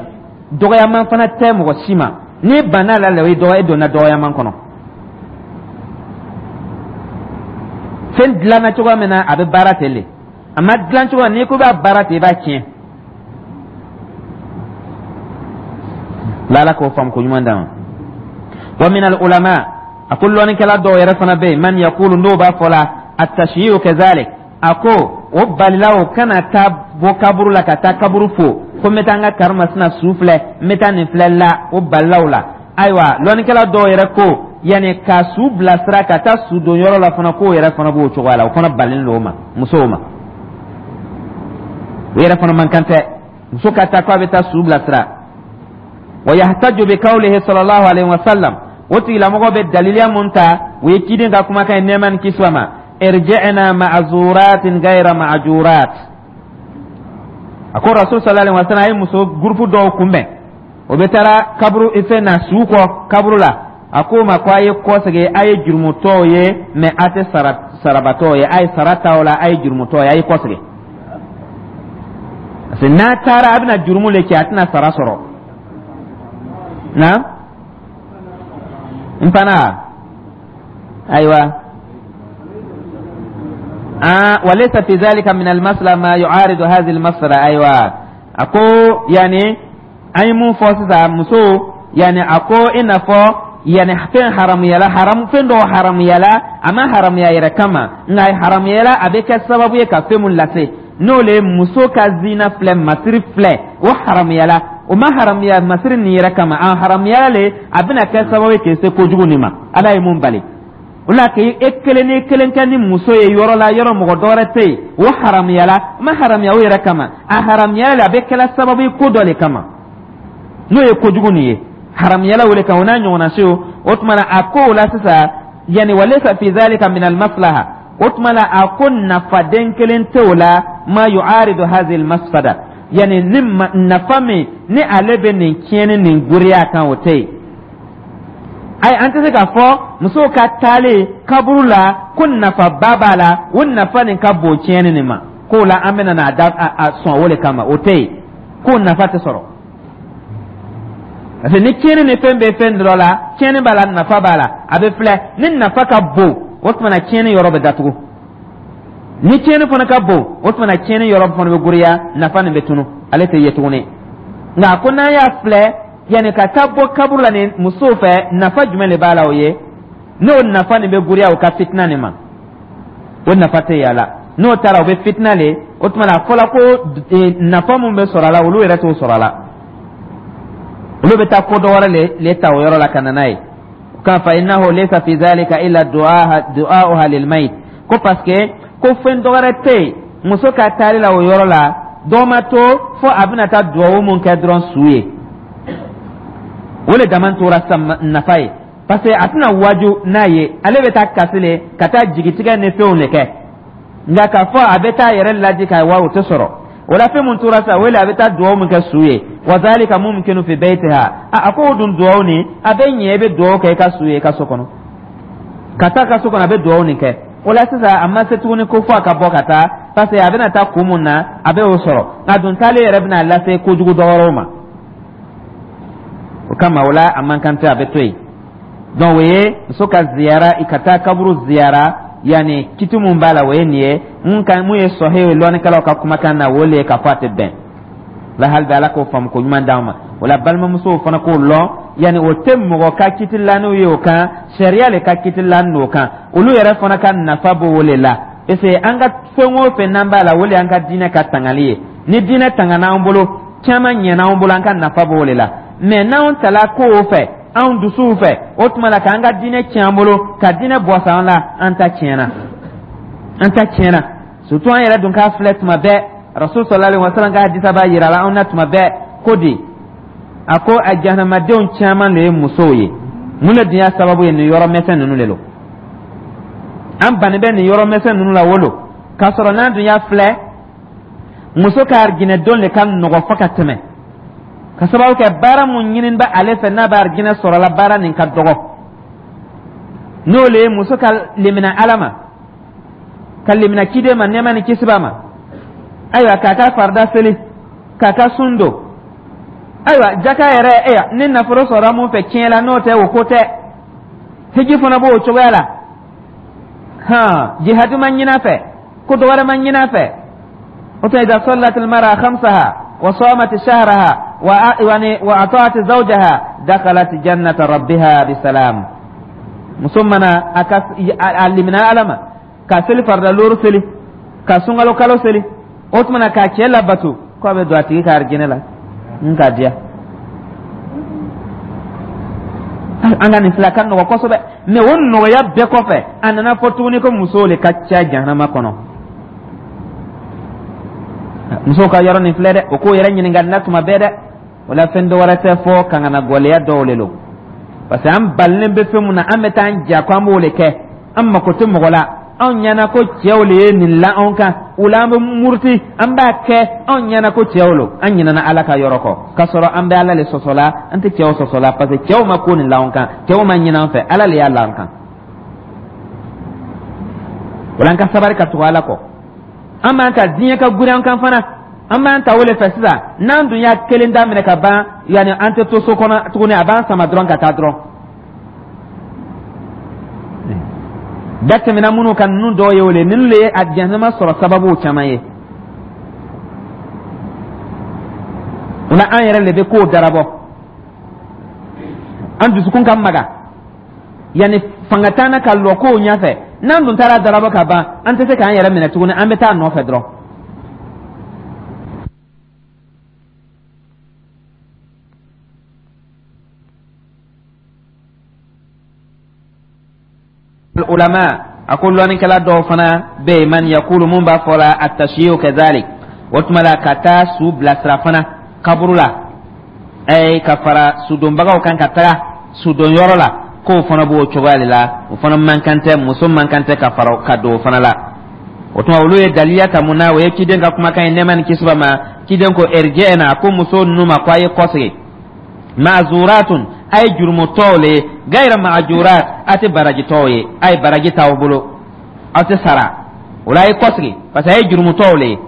dɔgɔyaman fana tɛ mɔgɔ si ma. N'i banna la, o ye dɔgɔ, e donna dɔgɔyaman kɔnɔ. Fɛn dilanna cogoya min na, a bɛ baara ten de. A ma dilan cogoya, n'i ko b'a baara ten, i b'a tiɲɛ. Ala k'o faamu ko ɲuman d'an ma. Wa min al ulama, a ko lɔnnikɛla dɔw yɛrɛ fana bɛ yen, man yaqulu, n'o b'a fɔ la, at-tashyi'u kazalik, a ko o balila o kana taa bɔ kaburu la ka taa kaburu fo, ko n bɛ taa n ka karimasina su filɛ, n bɛ taa nin filɛ la, o balila o la. Ayiwa, lɔnnikɛla dɔw yɛrɛ ko Yanni ka su bilasira ka taa su don yɔrɔ la fana, k'o yɛrɛ fana b'o cogoya la, o fana balen don o ma, musow ma. O yɛrɛ fana man kan tɛ muso ka taa k'a bɛ taa su bilasira. Wa yahtaju bi qawlihi sallallahu alaihi wa sallam, o tigilamɔgɔ bɛ daliliya mun ta, o ye ciden ka kumakan ye, nɛɛma ni kisi ma: irji'na ma'zuratin ghayra ma'jurat. A ko Rasul sallallahu alaihi wa sallam a ye muso gurupu dɔw kunbɛn, o bɛ taara kaburu fɛn na, su kɔ kaburu la. A ko ma ko a ye kɔsegin, a ye jurumutɔw ye, mɛ a tɛ sara sarabatɔw ye, a ye sara t'aw la, a ye jurumutɔw ye, a ye kɔsegin, parce que n'a taara, a bɛna jurumu le kɛ, a tɛna sara sɔrɔ. Na n fana, ayiwa, ah walaysa fi dhalika min al-masla ma yu'aridu hadhihi al-masla. Ayiwa, a ko yani an ye mun fɔ sisan, muso, yani a ko i n'a fɔ yani fɛn haramuyala, haram fɛn dɔw haramuyala, a ma haramuya yɛrɛ kama, nka haramuyala a bɛ kɛ sababu ye ka fɛn mun lase, n'o le ye muso ka zina filɛ, masiri filɛ, o haramuyala. O ma haramuya masiri nin yɛrɛ kama, a haramuyala le a bɛna kɛ sababu ye k'i se kojugu nin ma, Ala ye mun bali. O la k'i e kelen ni kelen kɛ ni muso ye yɔrɔ la, yɔrɔ mɔgɔ dɔwɛrɛ tɛ yen, o haramuyala. O ma haramuya o yɛrɛ kama, a haramuyala le a bɛ kɛla sababu ye ko dɔ le kama, n'o ye kojugu nin ye, haramuyala o le kan, o n'a ɲɔgɔnna se. O o tuma na, a ko o la sisan, yani walaysa fi dhalika min al-maslaha, o tuma la a ko nafaden kelen tɛ o la, ma yu'aridu hadhihi al-mafsada, yani ni nafa min ni ale bɛ nin tiɲɛni nin goriya kan, o tɛ yen. Ayi, an tɛ se k'a fɔ musow ka taalen kaburu la ko nafaba b'a la, o nafa nin ka bon tiɲɛni nin ma, k'o la an bɛna n'a da a sɔn o de kama, o tɛ yen, k'o nafa tɛ sɔrɔ. Parce que ni tiɲɛni ni fɛn bɛ fɛn dɔ la, tiɲɛni b'a la, nafa b'a la, a bɛ filɛ ni nafa ka bon, o tuma na tiɲɛni yɔrɔ bɛ datugu. Ni tiɲɛni fana ka bon, o tuma na tiɲɛni yɔrɔ fana bɛ goriya, nafa nin bɛ tunu, ale tɛ ye tuguni. Nka ko n'an y'a filɛ, yanni ka taa bɔ kaburu la ni musow fɛ, nafa jumɛn de b'a la? O ye n'o nafa nin bɛ goriya o ka fitina nin ma, o nafa tɛ y'a la. N'o taara, o bɛ fitina le. O tuma na a fɔla ko nafa mun bɛ sɔrɔ a la, olu yɛrɛ t'o sɔrɔ a la, olu bɛ taa ko dɔ wɛrɛ le le ta o yɔrɔ la ka na n'a ye. Kan fa innahu laysa fi dhalika illa du'a'uha lil mayit, ko parce que ko fɛn dɔ wɛrɛ tɛ yen muso ka taali la o yɔrɔ la, dɔ ma to fo a bɛna taa duwawu mun kɛ dɔrɔn su ye, o le dama tora sisan nafa ye, parce que a tɛna waju n'a ye, ale bɛ taa kasi le, ka taa jigitigɛ ni fɛnw de kɛ. Nka k'a fɔ a bɛ taa yɛrɛ laji ka wa, o tɛ sɔrɔ. O la fɛn mun tora sisan, o le a bɛ taa duwawu min kɛ su ye. Wa zalika mumkinu fi baytiha. A ko o dun duwawu nin, a bɛ ɲɛ i bɛ duwawu kɛ i ka su ye i ka so kɔnɔ, ka taa ka so kɔnɔ, a bɛ duwawu nin kɛ. O la sisan a ma se tuguni ko fo a ka bɔ ka taa, parce que a bɛna taa kun mun na, a bɛ o sɔrɔ. Nka dun taalen yɛrɛ bɛna lase kojugu dɔ wɛrɛw ma, o kama o la a man kan tɛ, a bɛ to yen. Donc o ye muso ka ziyara, i ka taa kaburu ziyara, yanni kiti mun b'a la, o ye nin ye. Mun kan mun ye sɔhi ye lɔnnikɛlaw ka kumakan na, o le ye k'a fɔ a tɛ bɛn la. Hali bi Ala k'o faamu ko ɲuman d'an ma. O la balimamusow fana k'o lɔn, yanni o tɛ mɔgɔ ka kiti laniw ye o kan, sariya le ka kiti lani o kan, olu yɛrɛ fana ka nafa b'o le la, parce que an ka fɛn o fɛn n'an b'a la, o le y'an ka diinɛ ka tangali ye. Ni diinɛ tangana an bolo, caman ɲɛna an bolo, an ka nafa b'o le la. Mɛ n'anw tala kow fɛ, anw dusuw fɛ, o tuma la k'an ka diinɛ tiɲɛ an bolo, ka diinɛ bɔsa an la, an ta tiɲɛna, an ta tiɲɛna. Surtout an yɛrɛ dun k'a filɛ tuma bɛɛ, Rasul sallallahu alaihi wasallam ka hadisa b'a yira la anw na tuma bɛɛ ko di, a ko a jahanamadenw caman de ye musow ye. Mun de dun y'a sababu ye? Nin yɔrɔ mɛsɛn ninnu de lo, an bannen bɛ nin yɔrɔ mɛsɛn ninnu la wolo, k'a sɔrɔ n'an dun y'a filɛ, muso ka arijinɛ don de ka nɔgɔ fo ka tɛmɛ, ka sababu kɛ baara mun ɲini bɛ ale fɛ, n'a bɛ arijinɛ sɔrɔ la, baara nin ka dɔgɔ. N'o le ye muso ka lemina Ala ma, ka lemina ciden ma, nɛɛma ni kisi b'a ma, ayiwa, k'a ka farida seli, k'a ka sun don, ayiwa, jaka yɛrɛ, eya, ni nafolo sɔrɔla mun fɛ tiɲɛ la, n'o tɛ, o ko tɛ. Hiji fana b'o cogoya la, hɔn, jihadu ma ɲin'a fɛ, ko dɔ wɛrɛ ma ɲin'a fɛ. O tɛ idha sallat al-mar'a khamsaha wa samat shahraha wa wa ata'at zawjaha dakhalat jannata rabbiha bisalam. Muso mana a ka a limina Ala ma, ka seli farida looru seli, ka sunkalo kalo seli, o tuma na k'a cɛ labato, k'a bɛ don a tigi ka arijinɛ la n k'a diya. An ka nin fila ka nɔgɔ kosɛbɛ, mais o nɔgɔya bɛɛ kɔfɛ, a nana fɔ tuguni ko musow le ka ca jahanama kɔnɔ. Musow ka yɔrɔ nin filɛ dɛ, o k'o yɛrɛ ɲininka na tuma bɛɛ dɛ. O la, fɛn dɔ wɛrɛ tɛ fɔ kangana gɔlɛya dɔw le lo, parce que an balilen bɛ fɛn mun na, an bɛ taa an ja ko an b'o le kɛ, an mako tɛ mɔgɔ la. Anw ɲɛna ko cɛw le ye nin la anw kan, o la an bɛ muruti, an b'a kɛ. Anw ɲɛna ko cɛw lo, an ɲinɛna Ala ka yɔrɔ kɔ, k'a sɔrɔ an bɛ Ala le sɔsɔ la, an tɛ cɛw sɔsɔ la, parce que cɛw ma ko nin la anw kan, cɛw ma ɲinɛ an fɛ, Ala le y'a la an kan. O la, an ka sabari ka tugu Ala kɔ. An b'an ta diɲɛ ka guri an kan fana, an b'an ta o le fɛ sisan. N'an dun y'a kelen daminɛ ka ban, yanni an tɛ to so kɔnɔ tuguni, a b'an sama dɔrɔn ka taa dɔrɔn. Da tɛmɛna minnu kan, ninnu dɔw ye o le, ninnu le ye a jahanama sɔrɔ sababuw caman ye. O la, an yɛrɛ le bɛ kow darabɔ, an dusukun ka maga, yanni fanga t'an na ka lɔ kow ɲɛfɛ. N'an dun taara darabɔ ka ban, an tɛ se k'an yɛrɛ minɛ tuguni, an bɛ taa a nɔfɛ dɔrɔn. Ulama a ko lɔnnikɛla dɔw fana bɛ yen, man yakulu, mun b'a fɔ la, atasiyu kazalik. O tuma la, ka taa su bilasira fana kaburu la, ɛɛ ka fara sudonbagaw kan ka taga sudonyɔrɔ la, k'o fana b'o cogoya de la. O fana man kan tɛ, muso man kan tɛ ka fara ka don o fana la. O tuma, olu ye daliya ta mun na? O ye ciden ka kumakan ye, nɛɛma ni kisi b'a ma. Ciden ko irji'na, ko muso ninnu ma ko a ye kɔsegin, ma'zuratun, a ye jurumutɔw le ye, gayra ma'jurat, a tɛ barajitɔw ye, a ye baraji t'aw bolo, aw tɛ sara. O la, a ye kɔsegin, parce que a ye jurumutɔw le ye.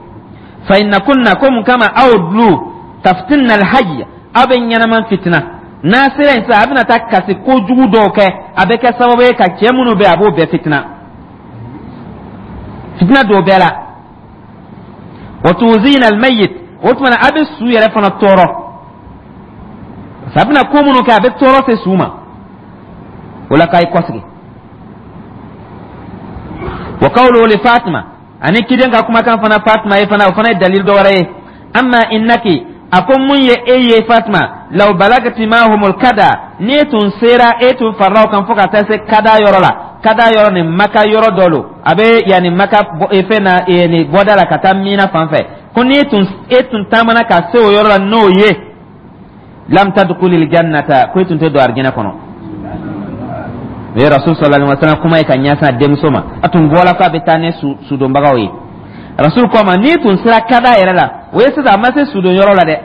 Fa inna kunna, ko mun kama aw dulu taftinna alhajj, aw bɛ ɲɛnaman fitina. N'a sera yen sisan, a bɛna taa kasi kojugu dɔw kɛ, a bɛ kɛ sababu ye ka cɛ minnu bɛ yen, a b'o bɛɛ fitina, fitina don bɛɛ la. Wa tuzina almayit, o tuma na a bɛ su yɛrɛ fana tɔɔrɔ, parce que a bɛna ko minnu kɛ, a bɛ tɔɔrɔ se su ma. O la, k'a ye kɔsegin. Wa qawluhu li Fatima, ani ciden ka kumakan fana Fatima ye fana, o fana ye dalil dɔ wɛrɛ ye. Amma innaki, a ko mun ye e ye Fatima, law balagati mahumul kada, n'e tun sera, e tun farala o kan fo ka taa se kada yɔrɔ la. Kada yɔrɔ nin, Maka yɔrɔ dɔ lo, a bɛ yanni Maka fɛn na, nin bɔda la ka taa Mina fan fɛ. Ko n'e tun e tun taamana ka se o yɔrɔ la, n'o ye lam tadkhulil jannata, ko e tun tɛ don arijinɛ kɔnɔ. O ye Rasul sallallahu alaihi wasallam kuma ye ka ɲɛsin a denmuso ma. A tun bɔra k'a bɛ taa ni sudonbagaw ye. Rasul ko a ma, n'i tun sera kada yɛrɛ la, o ye sisan a ma se sudon yɔrɔ la dɛ.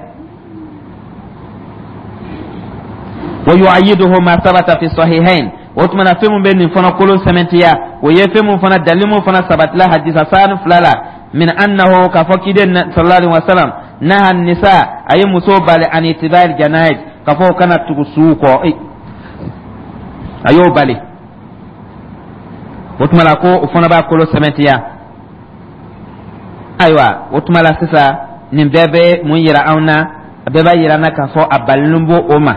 Wa yu'ayyiduhu ma sabata fi sahihain, o tuma na, fɛn mun bɛ nin fana kolo sɛmɛntiya, o ye fɛn mun fana dalil mun fana sabatila hadisa sani fila la, min annahu, k'a fɔ kiden sallallahu alaihi wasallam naha nisa, a ye muso bali, an itibari janaiz, k'a fɔ o kana tugu suw kɔ, a y'o bali. O tuma la, ko o fana b'a kolo sɛmɛntiya. Ayiwa, o tuma la sisan, nin bɛɛ bɛ mun yira anw na? A bɛɛ b'a yira an na k'a fɔ a balilen b'o o ma.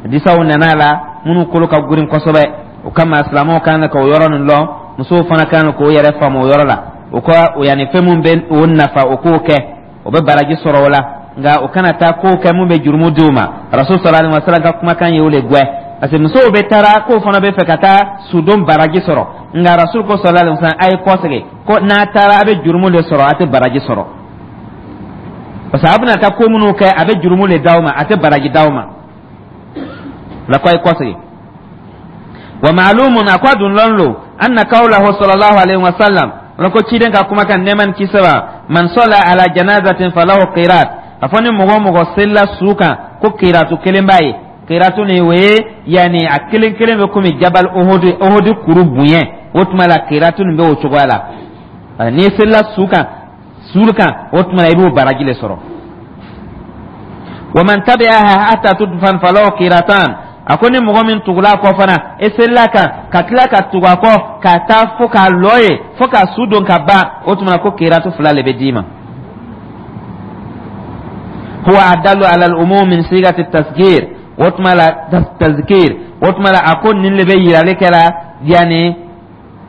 Hadisaw nana a la minnu kolo ka girin kosɛbɛ. O kama, silamɛw kan ka o yɔrɔ nin lɔn, musow fana kan k'o yɛrɛ faamu o yɔrɔ la. O ka o yanni fɛn mun bɛ o nafa, o k'o kɛ, o bɛ baraji sɔrɔ o la, nka o kana taa kow kɛ mun bɛ jurumu di o ma. Rasul sallallahu alaihi wasallam ka kumakan ye o le gwɛ, parce que musow bɛ taara k'o fana bɛ fɛ ka taa sudon baraji sɔrɔ, nka Rasul ko sallallahu alaihi wasallam, a ye kɔsegin, ko n'a taara, a bɛ jurumu de sɔrɔ, a tɛ baraji sɔrɔ, parce que a bɛna taa ko minnu kɛ, a bɛ jurumu de d'aw ma, a tɛ baraji d'aw ma la. Ko a ye kɔsegin. Wa ma'lumun, a ko a dun lɔn lo, anna qawlahu sallallahu alaihi wasallam, wala ko ciden ka kumakan, nɛɛma ni kisi b'a, man salla ala janazatin falahu qirat, a fɔ ni mɔgɔ o mɔgɔ selila su kan, ko qiratu kelen b'a ye. Qiratu nin, o ye yanni a kelen kelen bɛ komi jabal Uhud, Uhud kuru bonya. O tuma la, qiratu nin bɛ o cogoya la. N'i selila su kan su kan o tuma la, i b'o baraji de sɔrɔ. Wa man tabi'aha hatta tudfan falahu qiratan, a ko ni mɔgɔ min tugula a kɔ fana, e selila kan ka tila ka tugu a kɔ ka taa fo k'a lɔ ye, fo ka su don ka ban, o tuma na ko qiratu fila le bɛ d'i ma. Huwa adallu ala al-umum min sigati tasgir, o tuma la tazkir, o tuma la, a ko nin le bɛ yirali kɛra, yanni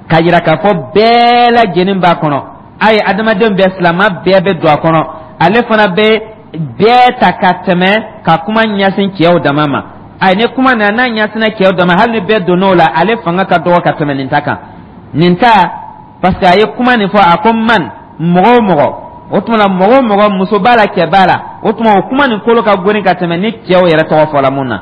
ka yira k'a fɔ bɛɛ lajɛlen b'a kɔnɔ, a ye adamaden bɛɛ, silamɛ bɛɛ bɛ don a kɔnɔ. Ale fana bɛ bɛɛ ta ka tɛmɛ ka kuma ɲɛsin cɛw dama ma. Ayi, ni kuma na n'a ɲɛsinna cɛw dama, hali ni bɛɛ donn'o la, ale fanga ka dɔgɔ ka tɛmɛ nin ta kan. Nin ta, parce que a ye kuma nin fɔ, a ko man, mɔgɔ o mɔgɔ. O tuma na, mɔgɔ o mɔgɔ, muso b'a la, cɛ b'a la. O tuma, o kuma nin kolo ka goni ka tɛmɛ ni cɛw yɛrɛ tɔgɔ fɔla mun na.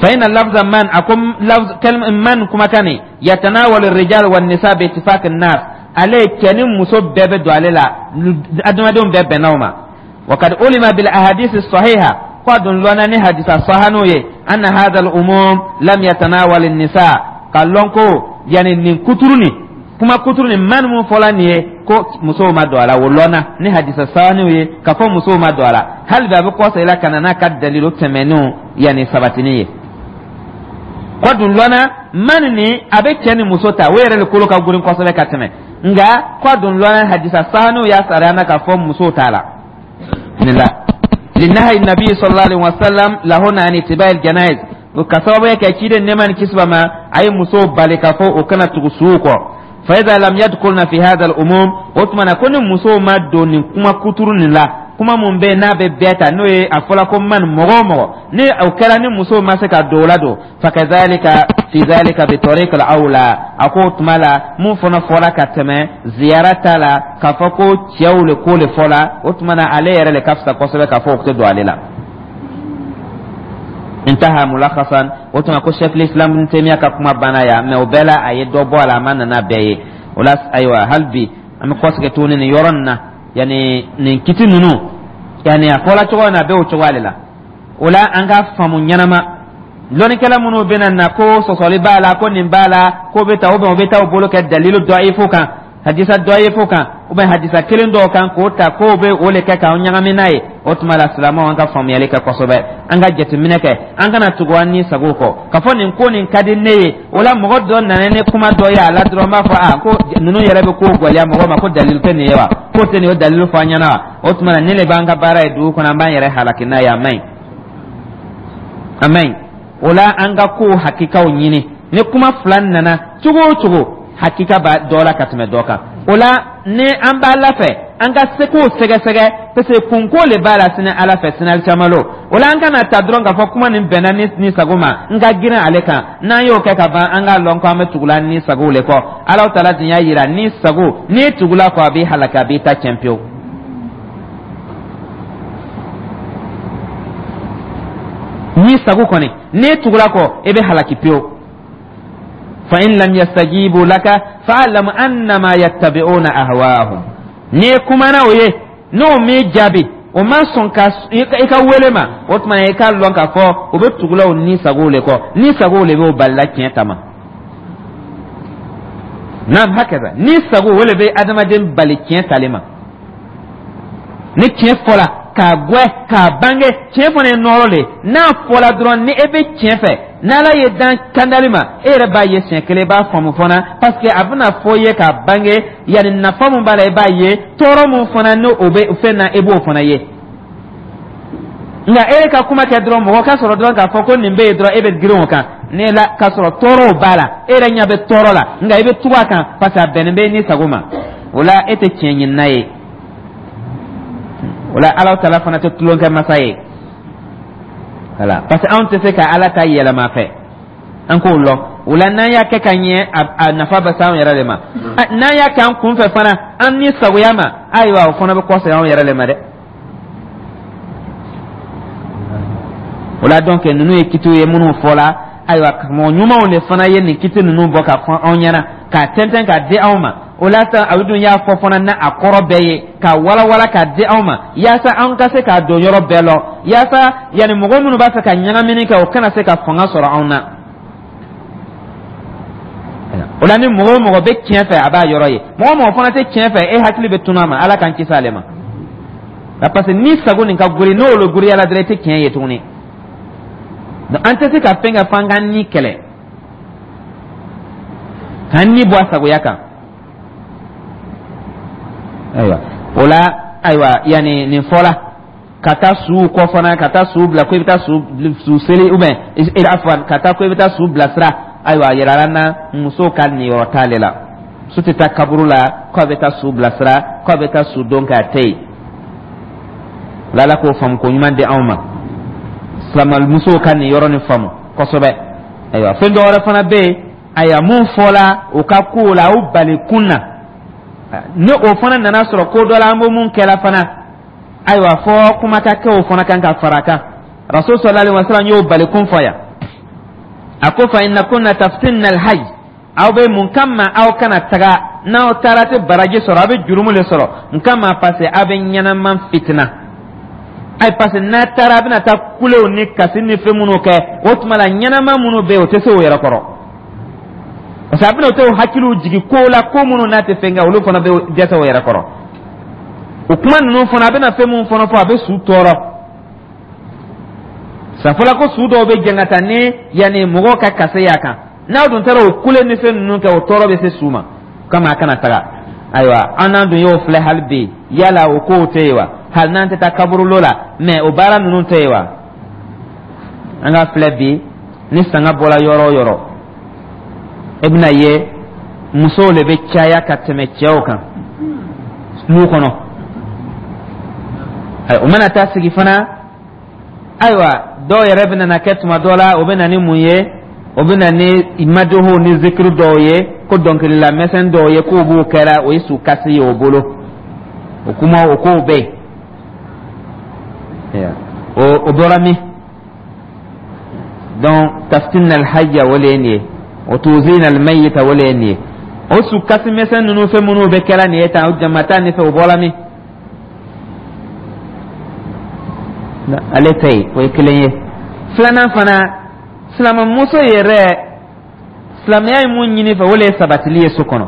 فإن لفظ من, أكم لفظ كلمة من كما كان يتناول الرجال والنساء باتفاق الناس. Ale cɛ ni muso bɛɛ bɛ don ale la, adamadenw bɛɛ bɛnna o ma. وقد علم بالأحاديث الصحيحة, ko dun lɔnna ni hadisa sahanu ye, أن هذا العموم لم يتناول النساء, ka lɔn ko yani nin kuturu nin, kuma kuturu nin, man mun fɔla nin ye, ko musow ma don a la. O lɔnna ni hadisa sahanu ye ka fɔ musow ma don a la. Hali bi a bɛ kɔsa la ka na n'a ka dalilu tɛmɛnenw yani sabatini ye. Ko dun lɔnna man nin, a bɛ cɛ ni muso ta, o yɛrɛ de kolo ka girin kosɛbɛ ka tɛmɛ. Nka ko dun lɔnna, hadisa sahanu y'a sariya na k'a fɔ musow t'a la nin la. لنهي النبي صلى الله عليه وسلم لهن عن اتباع الجنائز, ka sababu kɛ ciden nɛɛma ni kisi b'a ma, a ye musow bali k'a fɔ o kana tugu suw kɔ. فإذا لم يدخلن في هذا العموم, o tuma na ko ni musow ma don nin kuma kuturu nin la, kuma mun bɛ n'a bɛ bɛɛ ta, n'o ye a fɔla ko man, mɔgɔ o mɔgɔ, ni o kɛra ni musow ma se ka don o la don, فكذلك في ذلك بطريق الأولى. A ko o tuma la, mun fana fɔla ka tɛmɛ ziyara ta la, k'a fɔ ko cɛw le ko le fɔla, o tuma na ale yɛrɛ le ka fisa kosɛbɛ k'a fɔ o tɛ don ale la. انتهى ملخصا. O tuma ko Cheikh l'Islam Ibn Taymiyyah ka kuma banna yan, mais o bɛɛ la a ye dɔ bɔ a la, a ma nana bɛɛ ye o la. Ayiwa, hali bi an bɛ kɔsegin tuguni nin yɔrɔ nin na, yani nin kiti ninnu, yani a fɔla cogo min na, a bɛ o cogoya de la. O la, an ka faamu ɲɛnama, lɔnnikɛla minnu bɛna na ko sɔsɔli b'a la, ko nin b'a la, ko bɛ ta, ou bien o bɛ taa o bolo kɛ dalilu dɔyifu kan, hadisa dɔyifu kan, ou bien hadisa kelen dɔw kan k'o ta k'o bɛ o le kɛ k'an ɲagami n'a ye. O tuma la, silamɛw, an ka faamuyali kɛ kosɛbɛ, an ka jateminɛ kɛ, an kana tugu an ni sago kɔ k'a fɔ nin ko nin ka di ne ye. O la, mɔgɔ dɔ nana ni kuma dɔ ye a la dɔrɔn, n b'a fɔ a ko ninnu yɛrɛ bɛ ko gɛlɛya mɔgɔ ma, ko dalilu tɛ nin ye wa, k'o tɛ nin ye, o dalilu fɔ an ɲɛna wa. O tuma na, ne de b'an ka baara ye dugu kɔnɔ, an b'an yɛrɛ halaki n'a ye. A man ɲi, a man ɲi. O la, an ka kow hakikaw ɲini. Ni kuma fila nana cogo o cogo, hakika b'a dɔ la ka tɛmɛ dɔ kan. O la, ni an b'a la fɛ an ka se k'o sɛgɛsɛgɛ, parce que kunko le b'a la sini Ala fɛ, sini alikiyamalo. O la, an kana ta dɔrɔn k'a fɔ kuma nin bɛnna ni ni sago ma, n ka girin ale kan. N'an y'o kɛ ka ban, an k'a lɔn ko an bɛ tugula ni sago le kɔ. Alahu Taala dun y'a yira ni sago, n'i tugula kɔ, a b'i halaki, a b'i ta tiɲɛ pewu. Ni sago kɔni, n'i tugula kɔ, i bɛ halaki pewu. فإن لم يستجيبوا لك فاعلم أنما يتبعون أهواءهم. N'i kumana o ye, n'o m'i jaabi, o ma sɔn ka i ka wele ma, o tuma i k'a lɔn k'a fɔ o bɛ tugula o ni sagow le kɔ, ni sagow le b'o balila tiɲɛ ta ma. نعم هكذا, ni sago o le bɛ adamaden bali tiɲɛ tali ma. Ni tiɲɛ fɔla k'a gwɛ k'a bange, tiɲɛ fana ye nɔɔrɔ le. N'a fɔla dɔrɔn, ni e bɛ tiɲɛ fɛ, n'Ala ye dan kandali ma, e yɛrɛ b'a ye siɲɛ kelen, i b'a faamu fana, parce que a bɛna fɔ i ye k'a bange, yanni nafa mun b'a la, i b'a ye, tɔɔrɔ mun fana n'o o bɛ fɛn na, i b'o fana ye. Nka e ka kuma kɛ dɔrɔn, mɔgɔ ka sɔrɔ dɔrɔn k'a fɔ ko nin bɛ yen dɔrɔn, e bɛ girin o kan ne la, k'a sɔrɔ tɔɔrɔw b'a la, e yɛrɛ ɲɛ bɛ tɔɔrɔ la, nka i bɛ tugu a kan parce que a bɛnnen bɛ ni sago ma. O la, e tɛ tiɲɛ ɲinina ye. O la, Ala Taala fana tɛ tulonkɛ masa ye. Voilà, parce que anw tɛ se ka Ala ta yɛlɛma fɛ, an k'o lɔn. O la, n'an y'a kɛ ka ɲɛ, a nafa bɛ se anw yɛrɛ de ma. N'an y'a kɛ an kunfɛ fana, an ni sagoya ma, ayiwa, o fana bɛ kɔsegin anw yɛrɛ de ma dɛ. O la, donc ninnu ye kitiw ye minnu fɔla. Ayiwa, mɔgɔ ɲumanw de fana ye nin kiti ninnu bɔ ka fɔ anw ɲɛna, k'a tɛntɛn k'a di anw ma. O la sa, a dun y'a fɔ fana n'a a kɔrɔ bɛɛ ye, k'a walawala k'a di anw ma, yaasa an ka se k'a don yɔrɔ bɛɛ lɔ, yaasa yanni mɔgɔ minnu b'a fɛ ka ɲagamini kɛ, o kana se ka fanga sɔrɔ anw na. O la, ni mɔgɔ o mɔgɔ bɛ tiɲɛ fɛ, a b'a yɔrɔ ye. Mɔgɔ o mɔgɔ fana tɛ tiɲɛ fɛ, e hakili bɛ tunun a ma. Ala k'an kisi ale ma, parce que ni sago nin ka gori, n'o le goriya la dɔrɔn, i tɛ tiɲɛ ye tuguni. An tɛ se ka fɛn kɛ f'an k'an ni kɛlɛ, k'an ni bɔ a sagoya kan. Ayiwa, o la, ayiwa, yanni nin fɔla ka taa suw kɔ fana, ka taa suw bila ko i bɛ taa su su seli, ou bien afwan, ka taa ko i bɛ taa su bilasira. Ayiwa, a yirala n na muso ka niyɔrɔ t'ale la. Muso tɛ taa kaburu la k'a bɛ taa su bilasira, k'a bɛ taa su don k'a tɛ yen. Ala k'o faamu ko ɲuman di anw ma. Silamɛmusow ka nin yɔrɔ nin faamu kosɛbɛ. Ayiwa, fɛn dɔ wɛrɛ fana bɛ yen, ayiwa, mun fɔla o ka kow la, o bali kun na, ni o fana nana sɔrɔ ko dɔ la, an bɛ mun kɛla fana, ayiwa, fɔ kuma ka kɛ o fana kan ka fara a kan. Rasul sallallahu alaihi wasallam y'o bali kun fɔ yan. A ko: fa inna kunna taftinna alhayy. Aw bɛ mun kama aw kana taga? N'aw taara, tɛ baraji sɔrɔ, aw bɛ jurumu le sɔrɔ. N kama, parce que aw bɛ ɲɛnama fitina. Ayi, parce que n'a taara, a bɛna taa kulew ni kasi ni fɛn minnu kɛ, o tuma la ɲɛnama minnu bɛ yen, o tɛ se o yɛrɛ kɔrɔ, parce que a bɛna o hakiliw jigin ko la, ko minnu n'a tɛ fɛn kɛ, olu fana bɛ dɛsɛ o yɛrɛ kɔrɔ. O kuma ninnu fana, a bɛna fɛn minnu fana fɔ, a bɛ su tɔɔrɔ. Safɔla ko su dɔw bɛ jɛn ka taa ni yanni mɔgɔw ka kase y'a kan. N'aw dun taara o kule ni fɛn ninnu kɛ, o tɔɔrɔ bɛ se su ma kama, a kana taga. Ayiwa, an n'an dun y'o filɛ hali bi. Yala o kow tɛ yen wa? Hali n'an tɛ taa kaburulo la, mɛ o baara ninnu tɛ yen wa? An ka filɛ bi, ni sanga bɔra yɔrɔ o yɔrɔ, e bɛna ye musow de bɛ caya ka tɛmɛ cɛw kan lu kɔnɔ. O mana taa sigi fana, ayiwa, dɔw yɛrɛ bɛ na kɛ tuma dɔ la, o bɛ na ni mun ye? O bɛ na ni madoho ni zikiru dɔw ye, ko dɔnkilila mɛsɛn dɔw ye, k'o b'o kɛra, o ye su kasi ye o bolo. O kuma, o kow bɛ yen. o o bɔra min? Donc taftinna alhayya, o le ye nin ye. O tuzina almayita, o le ye nin ye. O su kasi mɛsɛn ninnu, fɛn minnu bɛ kɛra nin ye tan, o jamata nin fɛ, o bɔra min? Ale tɛ yen, o ye kelen ye. Filanan fana, silamɛmuso yɛrɛ, silamɛya ye mun ɲini fɛ, o le ye sabatili ye so kɔnɔ.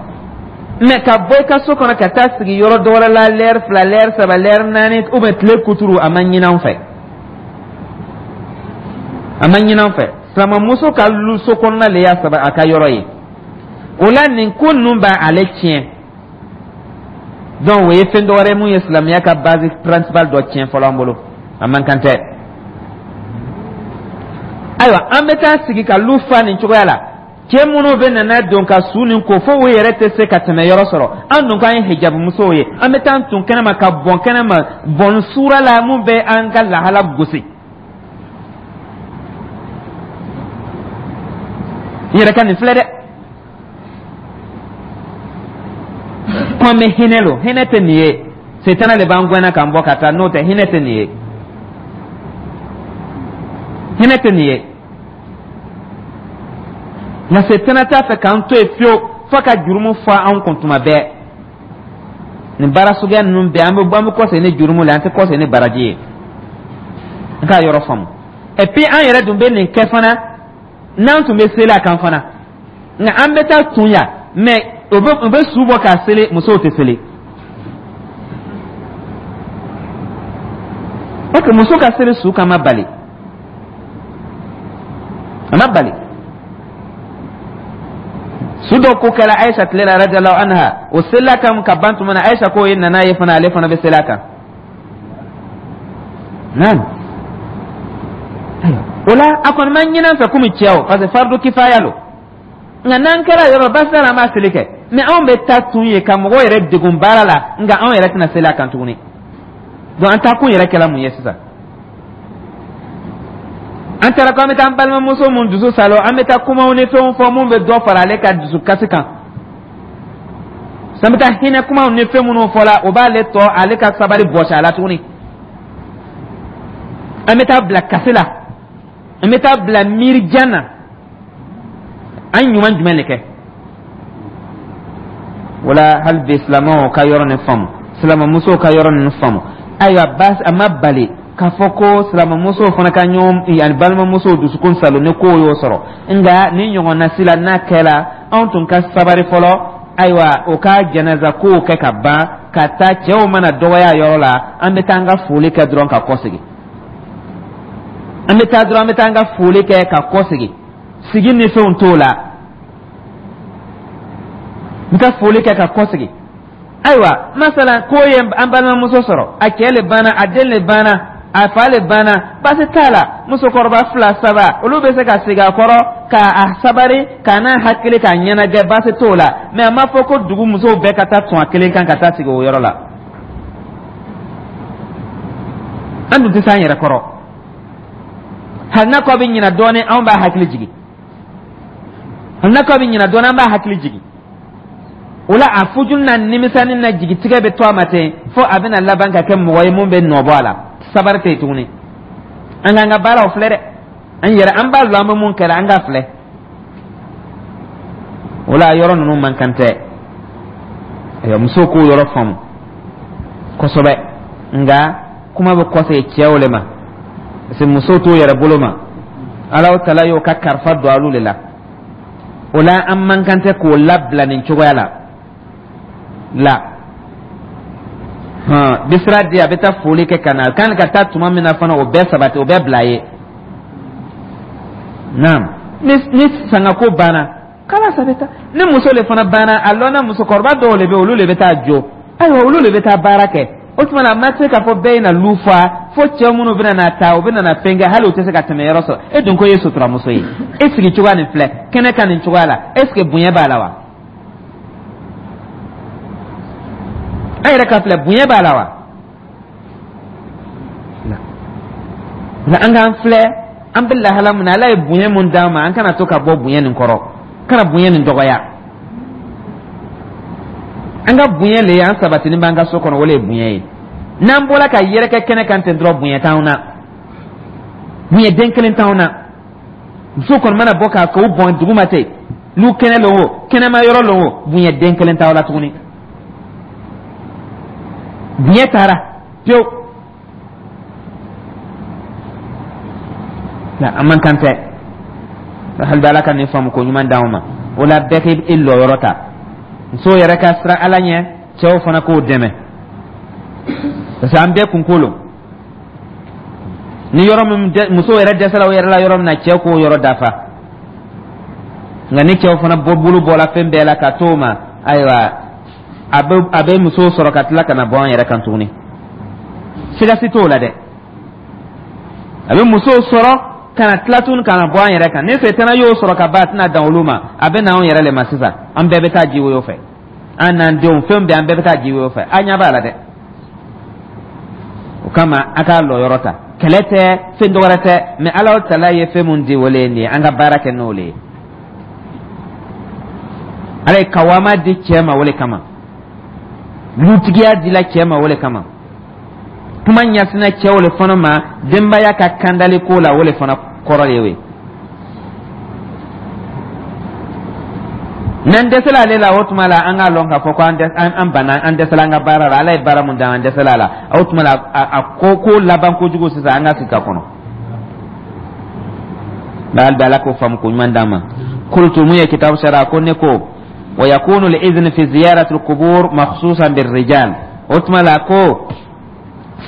Mɛ ka bɔ i ka so kɔnɔ ka taa sigi yɔrɔ dɔ wɛrɛ la, lɛri fila, lɛri saba, lɛri naani, ou bien tile kuturu, a ma ɲini an fɛ, a ma ɲini an fɛ. Silamɛmuso ka lu so kɔnɔna le y'a saba a ka yɔrɔ ye. O la, nin ko ninnu b'ale tiɲɛ. Donc o ye fɛn dɔ wɛrɛ ye mun ye silamɛya ka base principale dɔ tiɲɛ fɔlɔ an bolo, a man kan tɛ. Ayiwa, an bɛ taa sigi ka lu fa nin cogoya la. Cɛ minnu bɛ nana don ka su nin ko fo u yɛrɛ tɛ se ka tɛmɛ yɔrɔ sɔrɔ, an dun k'an ye hijabu ye, an bɛ taa tun kɛnɛma ka bɔn kɛnɛma, bɔn sura la mun bɛ an ka lahala gosi. I yɛrɛ ka nin filɛ dɛ, ko an bɛ hinɛ lo, hinɛ tɛ nin ye. Setana de b'an gɛnna k'an bɔ ka taa, n'o tɛ hinɛ tɛ nin ye, hinɛ tɛ nin ye. Nka setana t'a fɛ k'an to yen fiyewu, fo ka jurumu fɔ anw kun tuma bɛɛ. Nin baara suguya ninnu bɛɛ, an bɛ bɔ, an bɛ kɔsegin ni jurumu la, an tɛ kɔsegin ni baraji ye. An k'a yɔrɔ faamu. Et puis an yɛrɛ dun bɛ nin kɛ fana, n'an tun bɛ seli a kan fana, nka an bɛ taa tun yan, mɛ o bɛ o bɛ su bɔ k'a seli, musow tɛ seli. Ok, muso ka seli su kan ma bali, a ma bali. Su dɔ ko kɛra Ayisa tile la, radiyallahu anha, o selila kan ka ban tuma na, Ayisa ko ye nana ye fana, ale fana bɛ seli a kan. Naam, o la a kɔni ma ɲinɛ an fɛ komi cɛw, parce que fardu kifaya lo. Nka n'an kɛra yɔrɔ baasi t'a la, an b'a seli kɛ. Mɛ anw bɛ taa tun ye ka mɔgɔw yɛrɛ degun baara la, nka anw yɛrɛ tɛna seli a kan tuguni. Donc an taa kun yɛrɛ kɛla mun ye sisan? An taara ko an bɛ taa an balimamuso mun dusu salo, an bɛ taa kumaw ni fɛnw fɔ mun bɛ dɔ fara ale ka dusukasi kan. San bɛ taa hinɛ kumaw ni fɛn minnu fɔla, o b'ale tɔ ale ka sabali bɔsi a la tuguni. An bɛ taa bila kasi la, an bɛ taa bila miirijan na. An ɲuman jumɛn de kɛ? Wala hali bi, silamɛw ka yɔrɔ nin faamu, silamɛmusow ka yɔrɔ nin faamu. Ayiwa, baasi a ma bali k'a fɔ ko silamɛmusow fana ka ɲɔgɔn ani balimamusow dusukun salo ni kow y'o sɔrɔ. Nka ni ɲɔgɔnna si la n'a kɛra, anw tun ka sabari fɔlɔ. Ayiwa, o ka jɛnɛza kow kɛ ka ban ka taa, cɛw mana dɔgɔya yɔrɔ la, an bɛ taa an ka foli kɛ dɔrɔn ka kɔsegin. An bɛ taa dɔrɔn, an bɛ taa an ka foli kɛ ka kɔsegin. Sigi ni fɛnw t'o la, n ka foli kɛ ka kɔsegin. Ayiwa, masalan ko ye an balimamuso sɔrɔ, a cɛ le banna, a den le banna, a fa le banna, baasi t'a la. Musokɔrɔba fila saba, olu bɛ se ka sigi a kɔrɔ k'a sabari, k'a n'a hakili k'a ɲɛnajɛ, baasi t'o la. Mɛ a ma fɔ ko dugu musow bɛɛ ka taa tɔn a kelen kan ka taa sigi o yɔrɔ la. An dun tɛ s'an yɛrɛ kɔrɔ. Hali n'a ko a bɛ ɲina dɔɔnin, anw b'a hakili jigin. Hali n'a ko a bɛ ɲina dɔɔnin, an b'a hakili jigin. O la, a fujuli n'a nimisani na jigitigɛ bɛ to a ma ten, fo a bɛna laban ka kɛ mɔgɔ ye mun bɛ nɔ bɔ a la. Sabari tɛ yen tuguni. An k'an ka baaraw filɛ dɛ. An yɛrɛ, an b'a lɔn an bɛ mun kɛra, an k'a filɛ. O la, yɔrɔ ninnu man kan tɛ. Ayiwa, musow k'o yɔrɔ faamu kosɛbɛ. Nka kuma bɛ kɔsegin cɛw le ma, parce que musow t'o yɛrɛ bolo ma. Alahu Taala y'o ka karifa don alu de la. O la, an man kan tɛ k'o labila nin cogoya la la. Hɔn, bisira di, a bɛ taa foli kɛ ka na. A kan ka taa tuma min na fana, o bɛɛ sabati, o bɛɛ bila a ye. Naam, ni ni sangako banna, kala a bɛ taa. Ni muso le fana banna, a lɔnna musokɔrɔba dɔw le bɛ, olu le bɛ taa jɔ. Ayiwa, olu le bɛ taa baara kɛ. O tuma na, a ma se k'a fɔ bɛɛ ye na lu fa fo cɛ minnu bɛna na ta, u bɛna na fɛn kɛ, hali u tɛ se ka tɛmɛ yɔrɔ sɔrɔ. E dun ko e ye suturamuso ye, e sigi cogoya nin filɛ kɛnɛ kan nin cogoya la, est ce que bonya b'a la wa? An yɛrɛ ka filɛ, bonya b'a la wa? Nka an k'an filɛ, an bɛ lahala min na, Ala ye bonya mun d'an ma, an kana to ka bɔ bonya nin kɔrɔ, kana bonya nin dɔgɔya. An ka bonya le ye an sabatini b'an ka so kɔnɔ, o le ye bonya ye. N'an bɔra ka yɛrɛkɛ kɛnɛ kan ten dɔrɔn, bonya t'anw na, bonya den kelen t'anw na. Muso kɔni mana bɔ k'a k'o bɔn duguma ten, n'u kɛnɛ lon o, kɛnɛma yɔrɔ lon o, bonya den kelen t'aw la tuguni. Bonya taara pewu. Nka an man kan tɛ. Hali bi, Ala ka nin faamu ko ɲuman d'anw ma. O la, bɛɛ k'i lɔyɔrɔ ta. Musow yɛrɛ ka siran Ala ɲɛ, cɛw fana k'o dɛmɛ, parce que an bɛɛ kunko lo. Ni yɔrɔ min musow yɛrɛ dɛsɛla o yɛrɛ la yɔrɔ min na, cɛw k'o yɔrɔ dafa. Nka ni cɛw fana bɔ bolo bɔla fɛn bɛɛ la ka t'o ma, ayiwa, a bɛ a bɛ musow sɔrɔ ka tila ka na bɔ an yɛrɛ kan tuguni. Siga si t'o la dɛ. A bɛ musow sɔrɔ ka na tila tuguni ka na bɔ an yɛrɛ kan. Ni setana y'o sɔrɔ ka ban, a tɛna dan olu ma, a bɛ na anw yɛrɛ le ma sisan. An bɛɛ bɛ taa ji woyo fɛ, an n'an denw, fɛn bɛɛ, an bɛɛ bɛ taa ji woyo fɛ. An ɲɛ b'a la dɛ. O kama, a k'a lɔyɔrɔ ta. Kɛlɛ tɛ, fɛn dɔwɛrɛ tɛ, mɛ Ala Taala ye fɛn mun di, o le ye nin ye. An ka baara kɛ n'o le ye. Ala ye kawama di cɛ ma o le kama, lutigiya dila cɛ ma o le kama, kuma ɲɛsinna cɛw le fana ma denbaya ka kandali ko la, o le fana kɔrɔ de ye. N'an dɛsɛla ale la, o tuma la, an k'a lɔn k'a fɔ ko an an banna, an dɛsɛla an ka baara la. Ala ye baara mun d'an, an dɛsɛla a la. O tuma la, a ko ko laban kojugu sisan, an ka sigi ka kɔnɔ. Nka hali bi, Ala k'o faamu ko ɲuman d'an ma. Qultu, mun ye kitabu sara ko ne ko wa yakunu al-idhn fi ziyarati al-qubur makhsusan bir-rijal. O tuma la, ko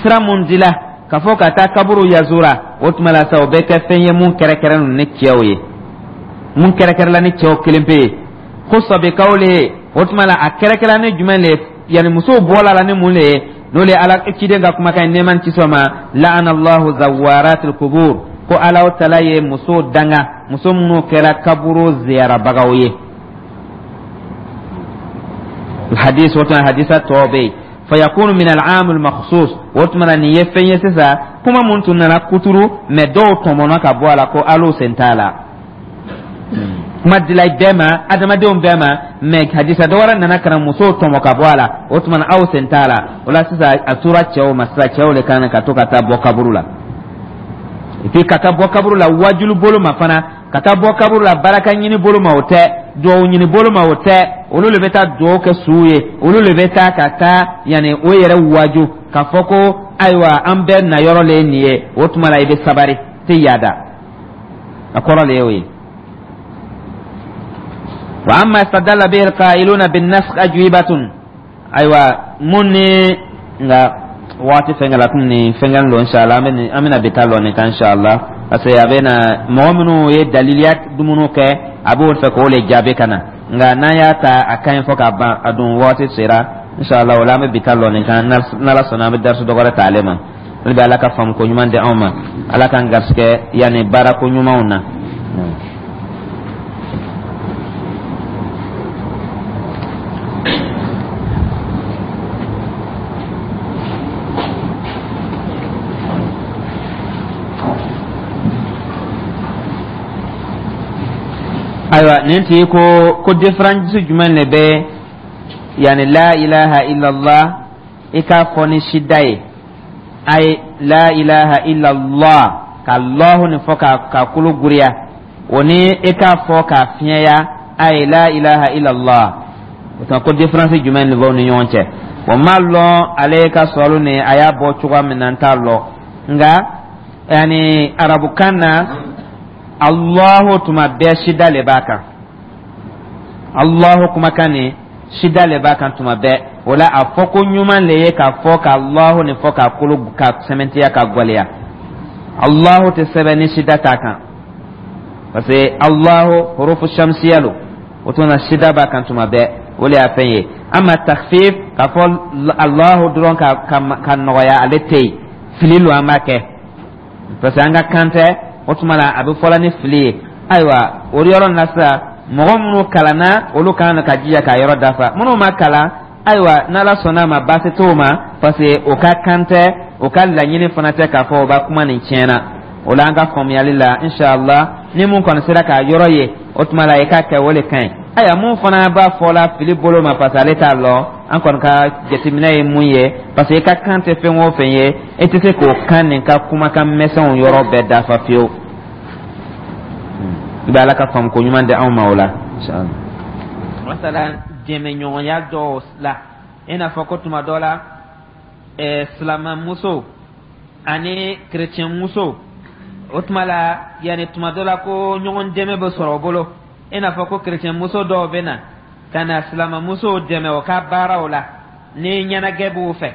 sira mun dila ka fɔ ka taa kaburu yazura, o tuma la sa, o bɛ kɛ fɛn ye mun kɛrɛkɛrɛnnen ni cɛw ye, mun kɛrɛkɛrɛla ni cɛw kelen pe ye. Khussa bi qawlihi, o tuma la, a kɛrɛkɛrɛla ni jumɛn le ye? Yani musow bɔla la ni mun le ye? N'o le ye Ala ciden ka kumakan ye, nɛɛma ni kisi ma: la'ana Allahu zawaratil qubur, ko Ala Taala ye muso danga, muso minnu kɛra kaburu ziyarabagaw ye. Hadis, o tuma hadisa tɔ bɛ yen. Fayakunu min al'am al-makhsus, o tuma na, nin ye fɛn ye sisan, kuma mun tun nana kuturu, mɛ dɔw tɔmɔnna ka bɔ a la ko al'o sen t'a la. Kuma dila bɛɛ ma, adamadenw bɛɛ ma, mɛ hadisa dɔ wɛrɛ nana ka na musow tɔmɔ ka bɔ a la. O tuma na, aw sen t'a la. O la sisan, a tora cɛw ma sisan. Cɛw de kan ka to ka taa bɔ kaburu la, et puis ka taa bɔ kaburu la wajulu bolo ma fana, ka taa bɔ kaburu la baraka ɲini bolo ma, o tɛ duwawu ɲini bolo ma, o tɛ. Olu le bɛ taa duwawu kɛ suw ye, olu le bɛ taa ka taa yanni o yɛrɛ waju k'a fɔ ko ayiwa, an bɛɛ na yɔrɔ le ye nin ye. O tuma la, i bɛ sabari, tɛ yaada, a kɔrɔ le y'o ye. Wa amma istadalla bihi alqailuna bin nasakh ajwibatun. Ayiwa, mun ni nka waati fɛnkɛ la komi nin fɛnkɛ don, inshallah an bɛna bi taa lɔ nin kan inshallah, parce que a bɛ na mɔgɔ minnu ye daliliya dumuniw kɛ, a b'o fɛ k'o le jaabi ka na. Nka n'an y'a ta, a ka ɲi fɔ k'a ban, a dun waati sera inshallah. O la, an bɛ bi taa lɔ nin kan. N'Ala sɔnna, an bɛ darisu dɔ wɛrɛ ta ale ma. Hali bi, Ala ka faamu ko ɲuman di anw ma. Ala k'an garisɛgɛ yanni baara ko ɲumanw na. Ayiwa, nin tigi ko ko différence jumɛn de bɛ, yani, la ilaha illallah, i k'a fɔ ni sida ye, ayi, la ilaha illallah, ka Allahu nin fɔ ka ka kolo guriya, o ni i k'a fɔ k'a fiɲɛya, ayi, la ilaha illallah, o tuma ko différence jumɛn de b'aw ni ɲɔgɔn cɛ? O m'a lɔn ale ka sɔrɔ nin a y'a bɔ cogoya min na, n t'a lɔn. Nka yani, arabukan na, Allahu tuma bɛɛ sida le b'a kan. Allahu kumakan nin, sida le b'a kan tuma bɛɛ. O la, a fɔ ko ɲuman le ye k'a fɔ ka Allahu nin fɔ k'a kolo ka sɛmɛntiya ka gwɛlɛya. Allahu tɛ sɛbɛn ni sida t'a kan, parce que Allahu hurufu shamsiya lo. O tuma na, sida b'a kan tuma bɛɛ, o le y'a fɛn ye. Ama takhfif, k'a fɔ Allahu dɔrɔn ka ka ka nɔgɔya, ale tɛ yen. Fili lo an b'a kɛ, parce que an ka kan tɛ. O tuma na, a bɛ fɔla ni fili ye. Ayiwa, o yɔrɔ na sisan, mɔgɔ minnu kalanna, olu kan ka jija k'a yɔrɔ dafa. Minnu ma kalan, ayiwa, n'Ala sɔnna a ma, baasi t'o ma, parce que o ka kan tɛ, o ka laɲini fana tɛ k'a fɔ o b'a kuma nin tiɲɛna. O la, an ka faamuyali la, inshallah, ni mun kɔni sera k'a yɔrɔ ye, o tuma la i k'a kɛ, o de ka ɲi. Ayiwa, mun fana b'a fɔ la fili bolo ma, parce que ale t'a lɔn, an kɔni ka jateminɛ ye mun ye, parce que i ka kan tɛ fɛn o fɛn ye, e tɛ se k'o kan nin ka kumakan misɛnw yɔrɔ bɛɛ dafa fiyewu. I bɛ Ala ka faamu ko ɲuman di anw ma o la, inshallah. Masalan, dɛmɛɲɔgɔnya dɔw la, i n'a fɔ ko tuma dɔ la, ɛɛ silamɛmuso ani kerecɛnmuso, o tuma la, yanni tuma dɔ la ko ɲɔgɔn dɛmɛ bɛ sɔrɔ o bolo, i n'a fɔ ko kerecɛnmuso dɔw bɛ na ka na silamɛmusow dɛmɛ o ka baaraw la ni ɲɛnajɛ b'u fɛ,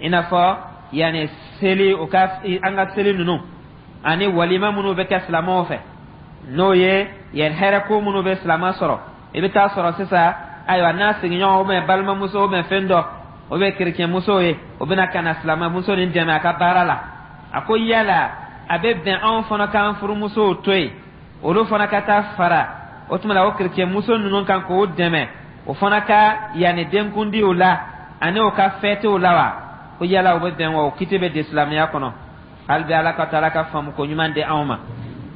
i n'a fɔ yanni seli, o ka an ka seli ninnu ani walima minnu bɛ kɛ silamɛw fɛ, n'o ye yan hɛrɛ ko minnu bɛ silamɛ sɔrɔ. I bɛ taa sɔrɔ sisan, ayiwa, n'a sigiɲɔgɔn ou bien balimamuso ou bien fɛn dɔ o bɛ kerecɛnmuso ye, o bɛna ka na silamɛmuso nin dɛmɛ a ka baara la. A ko yala a bɛ bɛn anw fana k'an furumusow to yen, olu fana ka taa fara o tuma la o kerecɛnmuso ninnu kan k'o dɛmɛ o fana ka yanni denkundiw la ani o ka fɛtiw la wa? Ko yala o bɛ bɛn wa? O kiti bɛ di silamɛya kɔnɔ? Hali bi, Ala ka to Ala ka faamu ko ɲuman di anw ma.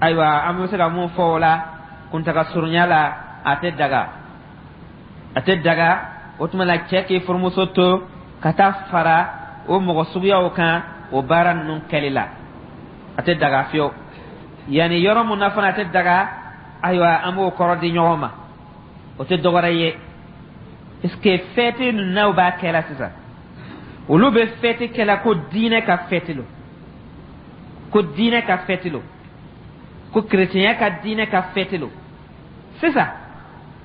Ayiwa, an bɛ se ka mun fɔ o la kuntaga surunya la? A tɛ daga, a tɛ daga. O tuma la, cɛ k'i furumuso to ka taa fara o mɔgɔ suguyaw kan o baara ninnu kɛli la, a tɛ daga fiyewu. Yanni yɔrɔ mun na fana a tɛ daga, ayiwa, an b'o kɔrɔ di ɲɔgɔn ma. O tɛ dɔwɛrɛ ye, parce que fɛti ninnu n'aw b'a kɛla sisan, olu bɛ fɛti kɛla ko diinɛ ka fɛti lo, ko diinɛ ka fɛti lo, ko kerecɛnya ka diinɛ ka fɛti lo. Sisan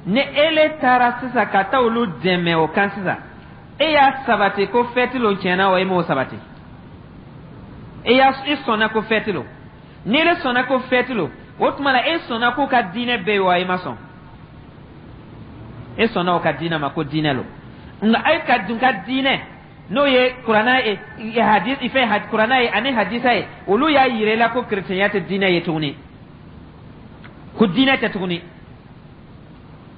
ni ele taara sisan ka taa olu dɛmɛ o kan sisan, e y'a sabati ko fɛti lo tiɲɛna wa? E m'o sabati, e y'a i sɔnna ko fɛti lo. Ni ele sɔnna ko fɛti lo, o tuma la e sɔnna k'u ka diinɛ bɛ yen wa? E ma sɔn. E sɔnna o ka diinɛ ma ko diinɛ lo, nka e ka dun ka diinɛ, n'o ye kuranna ye, hadis fɛn, kuranna ye ani hadisa ye, olu y'a yira i la ko kerecɛnya tɛ diinɛ ye tuguni, ko diinɛ tɛ tuguni,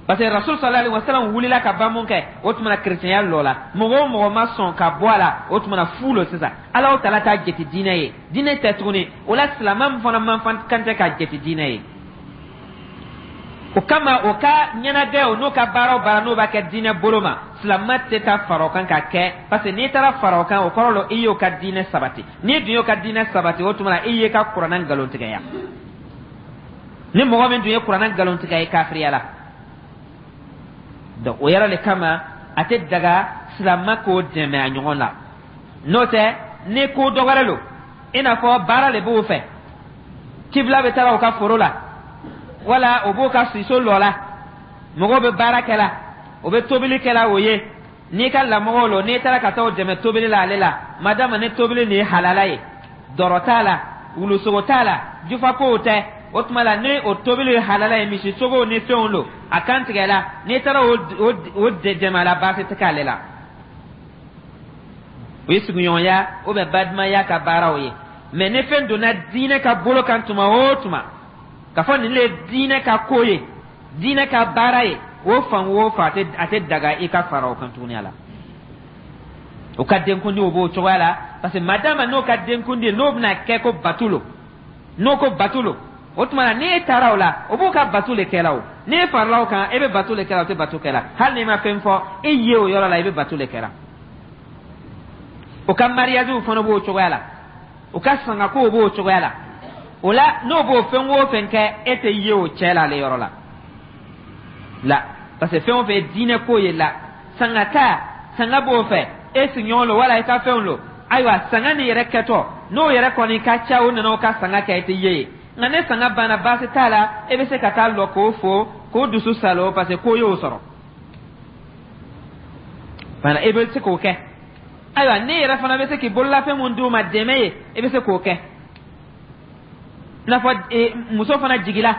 parce que Rasul sallallahu alaihi wasallam wulila ka ban mun kɛ, o tuma na kerecɛnya lɔ la. Mɔgɔ o mɔgɔ ma sɔn ka bɔ a la, o tuma na fu lo. Sisan Ala taala t'a jate diinɛ ye, diinɛ tɛ tuguni. O la, silamɛ min fana man kan tɛ k'a jate diinɛ ye. O kama, o ka ɲɛnajɛ o n'o ka baara o baara n'o b'a kɛ diinɛ bolo ma, silamɛ tɛ taa fara o kan ka kɛ, parce que n'i taara fara o kan, o kɔrɔ la i y'o ka diinɛ sabati. N'i dun y'o ka diinɛ sabati, o tuma na i y'i ka kuranɛ nkalontigɛya. Ni mɔgɔ min dun ye kuranɛ nkalontigɛ, ye kafiriya la. Donc o yɔrɔ le kama, a tɛ daga silamɛ k'o dɛmɛ a ɲɔgɔn la. N'o tɛ, ni ko dɔ wɛrɛ lo, i n'a fɔ baara le b'o fɛ, kibila bɛ taara o ka foro la, wala o b'o ka siso lɔ la, mɔgɔw bɛ baara kɛ la, o bɛ tobili kɛ la, o ye n'i ka lamɔgɔw lo, n'i taara ka taa o dɛmɛ tobili la ale la, madama ni tobili nin ye halala ye, dɔrɔ t'a la, wulusogo t'a la, jufakow tɛ, o tuma la ni o tobili ye halala ye, misi sogow ni fɛnw lo, a kan tigɛ la, n'i taara o o dɛmɛ a la, baasi tɛ k'ale la. O ye sigiɲɔgɔnya ou bien badimaya ka baaraw ye. Mais ni fɛn donna diinɛ ka bolo kan tuma o tuma, k'a fɔ nin le ye diinɛ ka ko ye, diinɛ ka baara ye, o fan o fan, a tɛ daga i ka fara o kan tuguni a la. O ka denkundi, o b'o cogoya la, parce que madama n'o ka denkundi n'o bɛna kɛ ko batu lo, n'o ko batu lo. O tuma na, n'e taara o la, o b'o ka bato le kɛla. O n'e farala o kan, e bɛ bato le kɛla, o tɛ bato kɛla. Hali n'i ma fɛn fɔ, e ye o yɔrɔ la, i bɛ bato le kɛla. O ka mariage fana b'o cogoya la, o ka sangakow b'o cogoya la. O la, n'o b'o fɛn o fɛn kɛ, e tɛ ye o cɛ la ale yɔrɔ la la, parce que fɛn o fɛn ye diinɛ ko ye la, sanga ta, sanga b'o fɛ, e sigiɲɔgɔn lo wala i ka fɛnw lo. Ayiwa, sanga nin yɛrɛ kɛtɔ, n'o yɛrɛ kɔni ka ca, o nana o ka sanga kɛ, e tɛ ye yen. Nka ne sanga banna, baasi t'a la, e bɛ se ka taa lɔ k'o fo, k'o dusu salo, parce que ko y'o sɔrɔ fana, e bɛ se k'o kɛ. Ayiwa, ne yɛrɛ fana bɛ se k'i bololafɛn mun d'u ma dɛmɛ ye, e bɛ se k'o kɛ. I n'a fɔ muso fana jigila,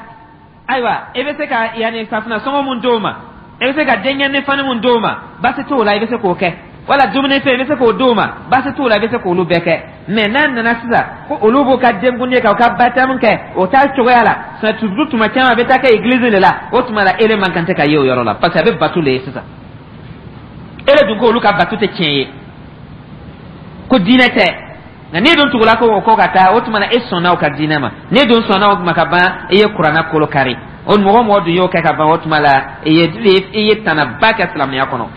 ayiwa, e bɛ se ka yanni safunɛ sɔngɔ mun d'o ma, e bɛ se ka denkɛni fani mun d'o ma, baasi t'o la, i bɛ se k'o kɛ. Wala dumunifɛn, i bɛ se k'o d'o ma, baasi t'o la, i bɛ se k'olu bɛɛ kɛ. Mɛ n'a nana sisan ko olu b'u ka denkundi kɛ, u ka baptême kɛ, o t'a cogoya la. Surtout tuma caman a bɛ taa kɛ église de la. O tuma la, ele man kan tɛ ka ye o yɔrɔ la, parce que a bɛ bato le ye sisan. Ele dun ko olu ka bato tɛ tiɲɛ ye, ko diinɛ tɛ. Nka n'e dun tugula ko o kɔ ka taa, o tuma na e sɔnna o ka diinɛ ma. N'e dun sɔnna o ma ka ban, e ye kuranna kolo kari. O mɔgɔ mɔgɔ dun y'o kɛ ka ban, o tuma la i ye i ye tanaba kɛ silamɛya kɔnɔ.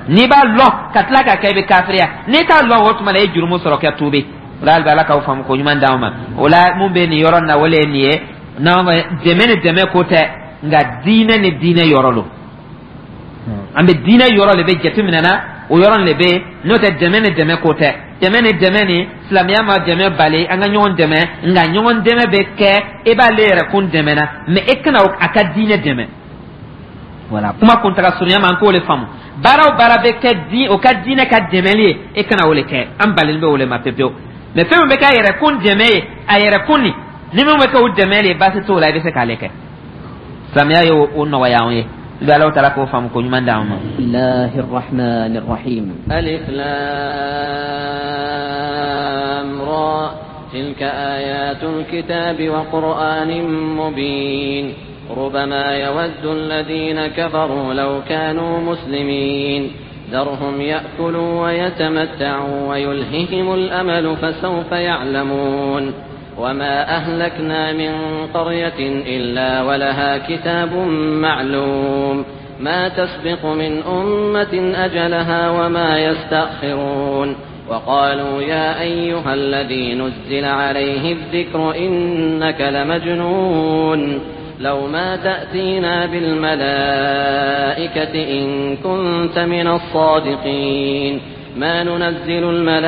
N'i b'a lɔn ka tila ka kɛ, i bɛ kafiriya. N'i t'a lɔn, o tuma la e ye jurumu sɔrɔ kɛ tuubi. O la, hali bi, Ala k'aw faamu ko ɲuman d'anw ma. O la, mun bɛ nin yɔrɔ in na, o le ye nin ye. N'an dɛmɛ ni dɛmɛ ko tɛ, nka diinɛ ni diinɛ yɔrɔ lo. An bɛ diinɛ yɔrɔ de bɛ jateminɛ na, o yɔrɔ de bɛ, n'o tɛ dɛmɛ ni dɛmɛ ko tɛ. Dɛmɛ ni dɛmɛ ni, silamɛya ma dɛmɛ bali an ka ɲɔgɔn dɛmɛ, nka ɲɔgɔn dɛmɛ bɛ kɛ, e b'ale yɛrɛ kun dɛmɛ na, mɛ e kana a ka diinɛ dɛmɛ. Wala kuma kuntaga surunya ma, an k'o le faamu. Baara o baara bɛ kɛ di o ka diinɛ ka dɛmɛli ye, e kana o le kɛ, an balen bɛ o le ma pepewu. Mɛ fɛn min bɛ kɛ a yɛrɛ kun dɛmɛ ye, a yɛrɛ kun nin ni min bɛ kɛ o dɛmɛ ye, baasi t'o la, i bɛ se k'ale kɛ. Silamɛya ye o nɔgɔya anw ye. Bi Ala taala k'o faamu ko ɲuman d'anw ma. الله الرحمن الرحيم. ألف لام را، تلك آيات الكتاب وقرآن مبين. ربما يود الذين كفروا لو كانوا مسلمين. ذرهم يأكلوا ويتمتعوا ويلههم الأمل، فسوف يعلمون. وما أهلكنا من قرية إلا ولها كتاب معلوم. ما تسبق من أمة أجلها وما يستأخرون. وقالوا يا أيها الذي نزل عليه الذكر إنك لمجنون، لو ما تأتينا بالملائكة إن كنت من الصادقين. ما ننزل الملائكة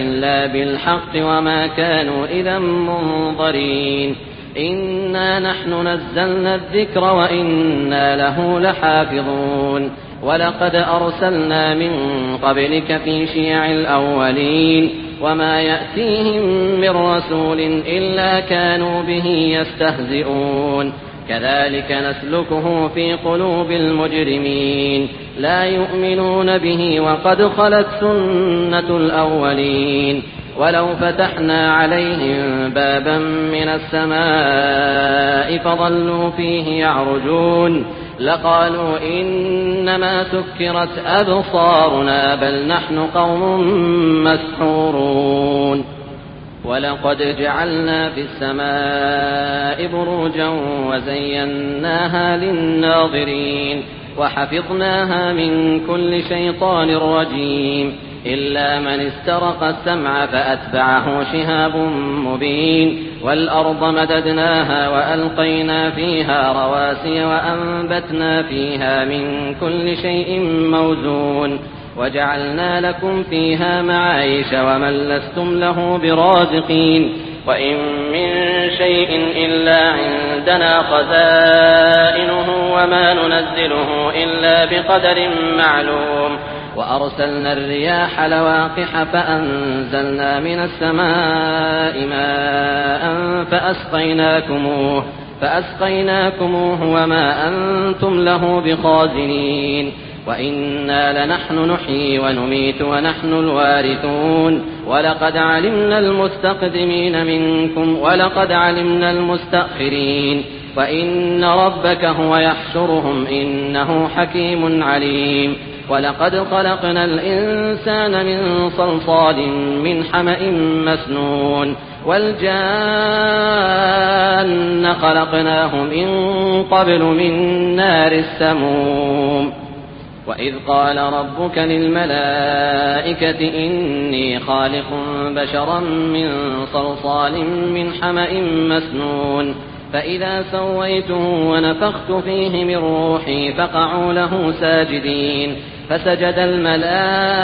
إلا بالحق وما كانوا إذا منظرين. إنا نحن نزلنا الذكر وإنا له لحافظون. ولقد أرسلنا من قبلك في شيع الأولين، وما يأتيهم من رسول إلا كانوا به يستهزئون. كذلك نسلكه في قلوب المجرمين. لا يؤمنون به وقد خلت سنة الأولين. ولو فتحنا عليهم بابا من السماء فظلوا فيه يعرجون لقالوا إنما سكرت أبصارنا بل نحن قوم مسحورون. ولقد جعلنا في السماء بروجا وزيناها للناظرين وحفظناها من كل شيطان رجيم. إلا من استرق السمع فأتبعه شهاب مبين. والأرض مددناها وألقينا فيها رواسي وأنبتنا فيها من كل شيء موزون وجعلنا لكم فيها معايش ومن لستم له برازقين. وإن من شيء إلا عندنا خزائنه وما ننزله إلا بقدر معلوم. وأرسلنا الرياح لواقح فأنزلنا من السماء ماء فأسقيناكموه فأسقيناكموه وما أنتم له بخازنين. وإنا لنحن نحيي ونميت ونحن الوارثون. ولقد علمنا المستقدمين منكم ولقد علمنا المستأخرين. وإن ربك هو يحشرهم إنه حكيم عليم. ولقد خلقنا الإنسان من صلصال من حمأ مسنون. والجان خلقناه من قبل من نار السموم. وإذ قال ربك للملائكة إني خالق بشرا من صلصال من حمأ مسنون فإذا سويته ونفخت فيه من روحي فقعوا له ساجدين. فسجد الملائكة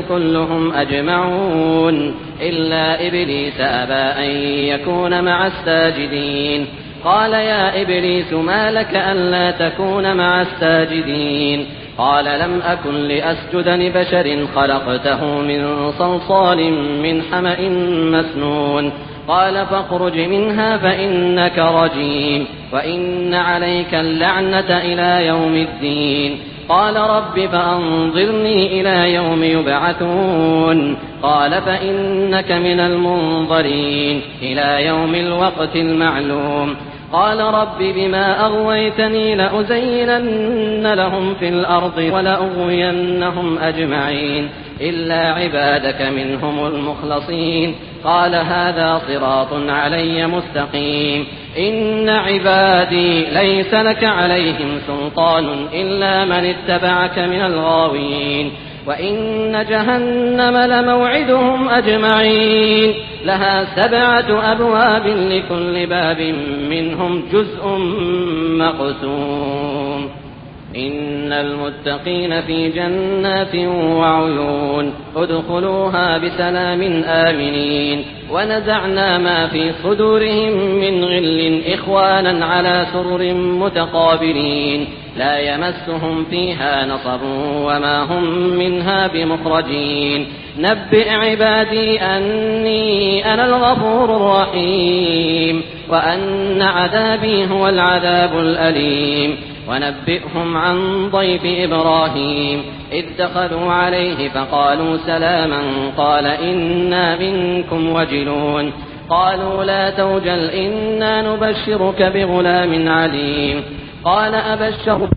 كلهم أجمعون إلا إبليس أبى أن يكون مع الساجدين. قال يا إبليس ما لك ألا تكون مع الساجدين؟ قال لم أكن لأسجد لبشر خلقته من صلصال من حمأ مسنون. قال فاخرج منها فإنك رجيم وإن عليك اللعنة إلى يوم الدين. قال رب فأنظرني إلى يوم يبعثون. قال فإنك من المنظرين إلى يوم الوقت المعلوم. قال رب بما أغويتني لأزينن لهم في الأرض ولأغوينهم أجمعين إلا عبادك منهم المخلصين. قال هذا صراط علي مستقيم. إن عبادي ليس لك عليهم سلطان إلا من اتبعك من الغاوين. وإن جهنم لموعدهم أجمعين. لها سبعة أبواب لكل باب منهم جزء مقسوم. إن المتقين في جنات وعيون. ادخلوها بسلام آمنين. ونزعنا ما في صدورهم من غل إخوانا على سرر متقابلين. لا يمسهم فيها نصب وما هم منها بمخرجين. نبئ عبادي أني أنا الغفور الرحيم وأن عذابي هو العذاب الأليم. ونبئهم عن ضيف إبراهيم إذ دخلوا عليه فقالوا سلاما قال إنا منكم وجلون. قالوا لا توجل إنا نبشرك بغلام عليم. قال أبشر